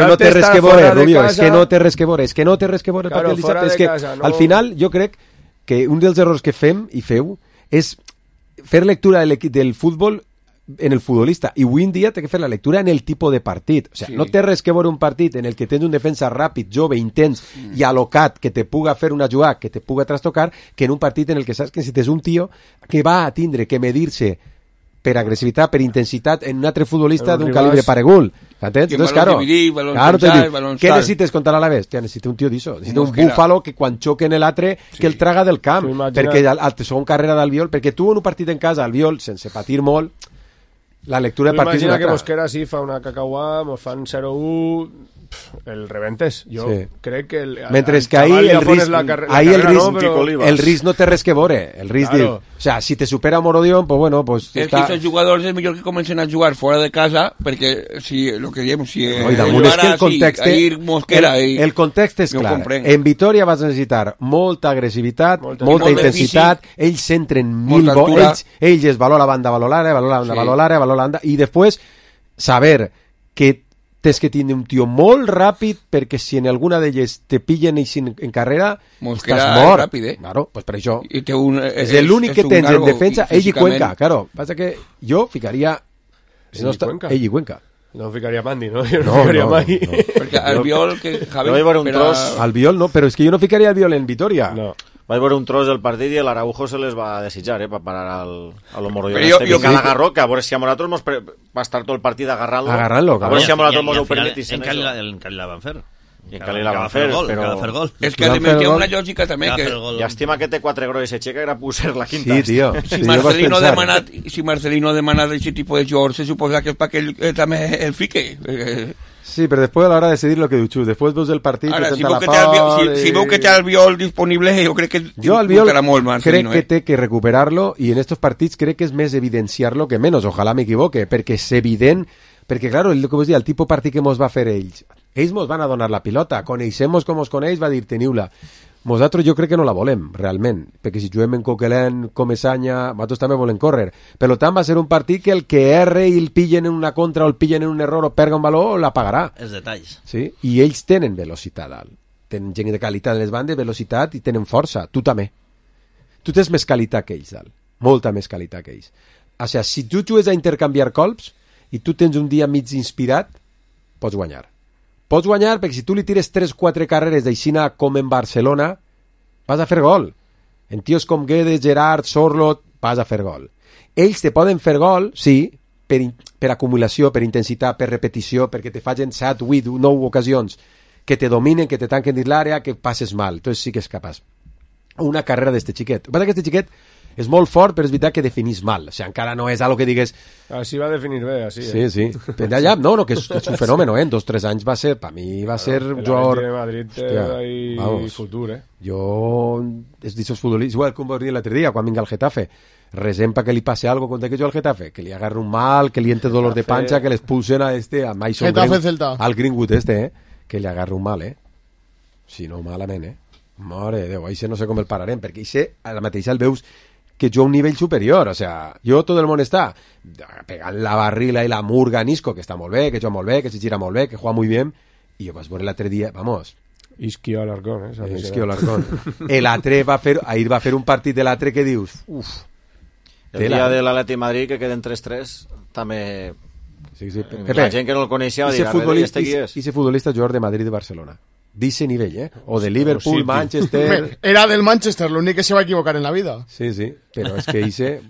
no té res que veure, Rubio, és que no té res que veure, el partit del dissabte. És que al final jo crec que un dels errors que fem i feu és fer lectura del futbol en el futbolista, i avui en dia té que fer la lectura en el tipus de partit. O sigui, no té res que veure un partit en el que tens un defensa ràpid, jove, intens i alocat, que te puga fer una jugada, que te puga trastocar, que en un partit en el que saps que si tens un tio que va a tindre que medir-se per agressivitat, per intensitat en un altre futbolista d'un calibre paregul. ¿Entens? Entonces, claro, ¿qué necesites contra l'Alavés? Necessita un tio d'això. Necessita un búfalo que quan xoque en l'altre que el traga del camp. Perquè al segon carrera d'Albiol, perquè tu en un partit en casa, Albiol, sense patir molt, la lectura de partit... Imagina que Mosquera sí fa una cacauà, mos fan 0-1... el rebentes. Jo crec que mentre que ahí el risc no té res que veure. El risc diu, o sea, si te supera Morodion, pues bueno, pues es que esos jugadores es millor que comencen a jugar fuera de casa, perquè si lo que diem, si el context és clar. En Vitoria vas necessitar molta agressivitat, molta intensitat, ells entren ells es valor a banda, valor l'àrea, i després saber que tens que tindre un tio molt ràpid perquè si en alguna d'elles te pillen en carrera estàs mort. Ràpid, Claro, pues per això és l'únic que tens en defensa, ell i Cuenca. Claro, passa que jo ficaria ell i Cuenca. No ficaria Mandi, no? Jo no ficaria mai. Perquè Albiol, que Javi... Albiol no, però és que jo no ficaria Albiol en Vitoria. No. Vaig veure un tros del partit i l'Araujo se les va desitjar, per parar a lo Morodion. Jo cada agarró, que a veure si a nosaltres va estar tot el partit agarrant-lo. A veure si a nosaltres mos ho permetissin. En Cali la van fer. I en Cali la van fer, però... És que hi ha una lògica també que... Llàstima que té 4 gros i s'aixeca era pusser la quinta. Sí, tio. Si Marcelino ha demanat aquest tipus de jugador, se suposa que és perquè ell també el fique. Sí, però després a l'hora de decidir lo que diu, després veus el partit... Ara, si veu que té Albiol disponible, jo crec que importarà molt Marcelino. Crec que té que recuperar-lo i en estos partits crec que és més evidenciar-lo que menys, ojalà m'equivoque, perquè és evident, perquè, claro, el que vos dic, el tipus de partit que mos va fer ells mos van a donar la pilota, coneixem-nos com os coneix, va dir, teniu-la. Nosaltres jo crec que no la volem, realment, perquè si juguem en Coquelin, Comesanya, nosaltres també volem córrer. Per tant, va ser un partit que el que erre i el pillen en una contra o el pillen en un error o perga un valor, la pagarà. Els detalls. Sí? I ells tenen velocitat alt. Tenen gent de qualitat en les bandes, velocitat i tenen força. Tu també. Tu tens més qualitat que ells, alt. Molta més qualitat que ells. O sigui, si tu jugues a intercanviar colps i tu tens un dia mig inspirat, pots guanyar. Pots guanyar perquè si tu li tires 3-4 carreres d'aixina com en Barcelona, vas a fer gol. En tios com Guedes, Gerard, Sorlot, vas a fer gol. Ells te poden fer gol, sí, per acumulació, per intensitat, per repetició, perquè te facin 7, 8, 9 ocasions, que te dominen, que te tanquen dins l'àrea, que passes mal. Entonces sí que és capaç. Una carrera d'este xiquet. El que passa que este xiquet és molt fort, però és veritat que definís mal. O sigui, encara no és algo que digues... Així va definir bé, així. Sí. Allà, no, que és un fenomen, en 2 o 3 anys va ser, per mi va ser un jugador... El Madrid té futur, Jo, és d'aixòs futbolistes, igual com vos dir l'altre dia, quan vinga al Getafe, resem pa que li passe algo contra que jo al Getafe, que li agarre un mal, que li entre dolor de panxa, que l'expulsen a Mason al Greenwood que li agarre un mal, si no, malament, Mare de Déu, això no sé com el pararem, perquè això a la mateixa el veus que jo a un nivell superior, o sea, jo tot el món està pegant la barrila i la murga a Nisco, que està molt bé, que juga molt bé, que se gira molt bé, que juega muy bien, i jo vaig veure l'altre dia, vamos... Isquio Alarcón, Isquio Alarcón. L'altre ahir va fer un partit de l'altre que dius, uf... El dia de l'Atleti Madrid, que queden 3-3, també... Sí. La gent que no el coneixia va dir, ese futbolista jugador de Madrid i de Barcelona. Dice nivel, o de Liverpool, Manchester... Era del Manchester, l'únic que se va equivocar en la vida. Sí, però és que hice...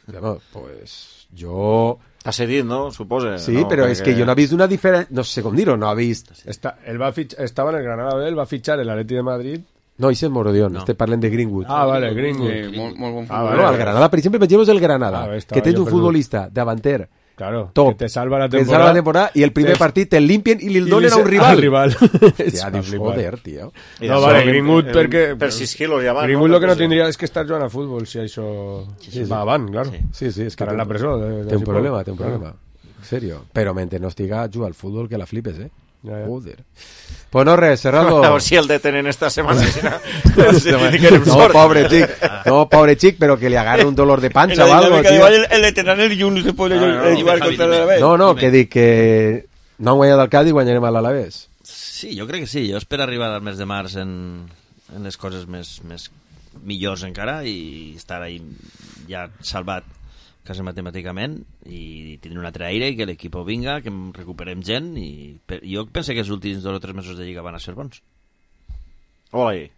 Bueno, pues jo... T'ha cedit, no? Suposa. Sí, no, però és que jo no he vist una diferència... No sé com dir-ho, no he vist... Estava en el Granada, el va fitxar el Atleti de Madrid... No, ese es Morodion, parlen de Greenwood. Ah, vale, Greenwood. Sí, molt bon futbolista. No, el Granada, per exemple, pensemos el Granada, que tens un futbolista davanter... Claro, top, que te salva la temporada y el primer partit te limpien y le donen a un rival. Hòstia, dius, joder, tio. No, vale, Greenwood perquè... Per 6 quilos ja va. Greenwood lo que no tindria és que estar jugant a futbol, si això va avant, claro. Sí, és que estarà en la presó. Té un problema. En serio. Però mentre no estiga juga al futbol que la flipes, Joder. Pues no res, Serraldo. A ver si el detenen esta semana. No, pobre chic, pero que le agarre un dolor de pancha o algo, tío. El detener el Jun se puede jugar contra l'Alavés. No, que dic que no han guanyat el Cádiz, guanyarem a l'Alavés. Sí, jo crec que sí. Jo espero arribar al mes de març en les coses més millors encara i estar ahí ja salvat quasi matemàticament, i tindre un altre aire i que l'equip vinga, que recuperem gent, i jo penso que els últims 2 o 3 mesos de Lliga van a ser bons. Oi.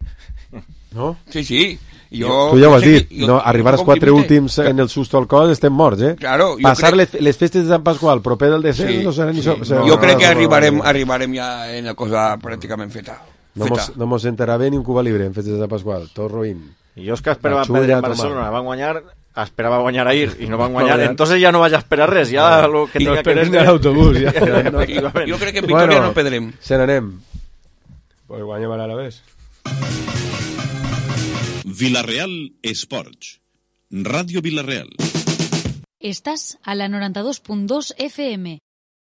No? Sí. Tu ja ho has dit, arribar als 4 últims en el susto al cos estem morts, eh? Claro, passar les festes de Sant Pasqual proper del descens no serà ni això. Jo crec que arribarem ja en la cosa pràcticament feta. No mos enterava ni un Cuba Libre en festes de Sant Pasqual, tot roïn. I jo és que esperava perdre en Barcelona, van guanyar, esperava guanyar ahir i no van guanyar, entonces ja no vaig a esperar res, ja lo que tinga que és l'autobús. Jo crec que en Vitoria no perdrem. Se n'anem. Pues guanyem a l'Alavés. Villarreal Esports. Radio Villarreal. Estás a la 92.2 FM.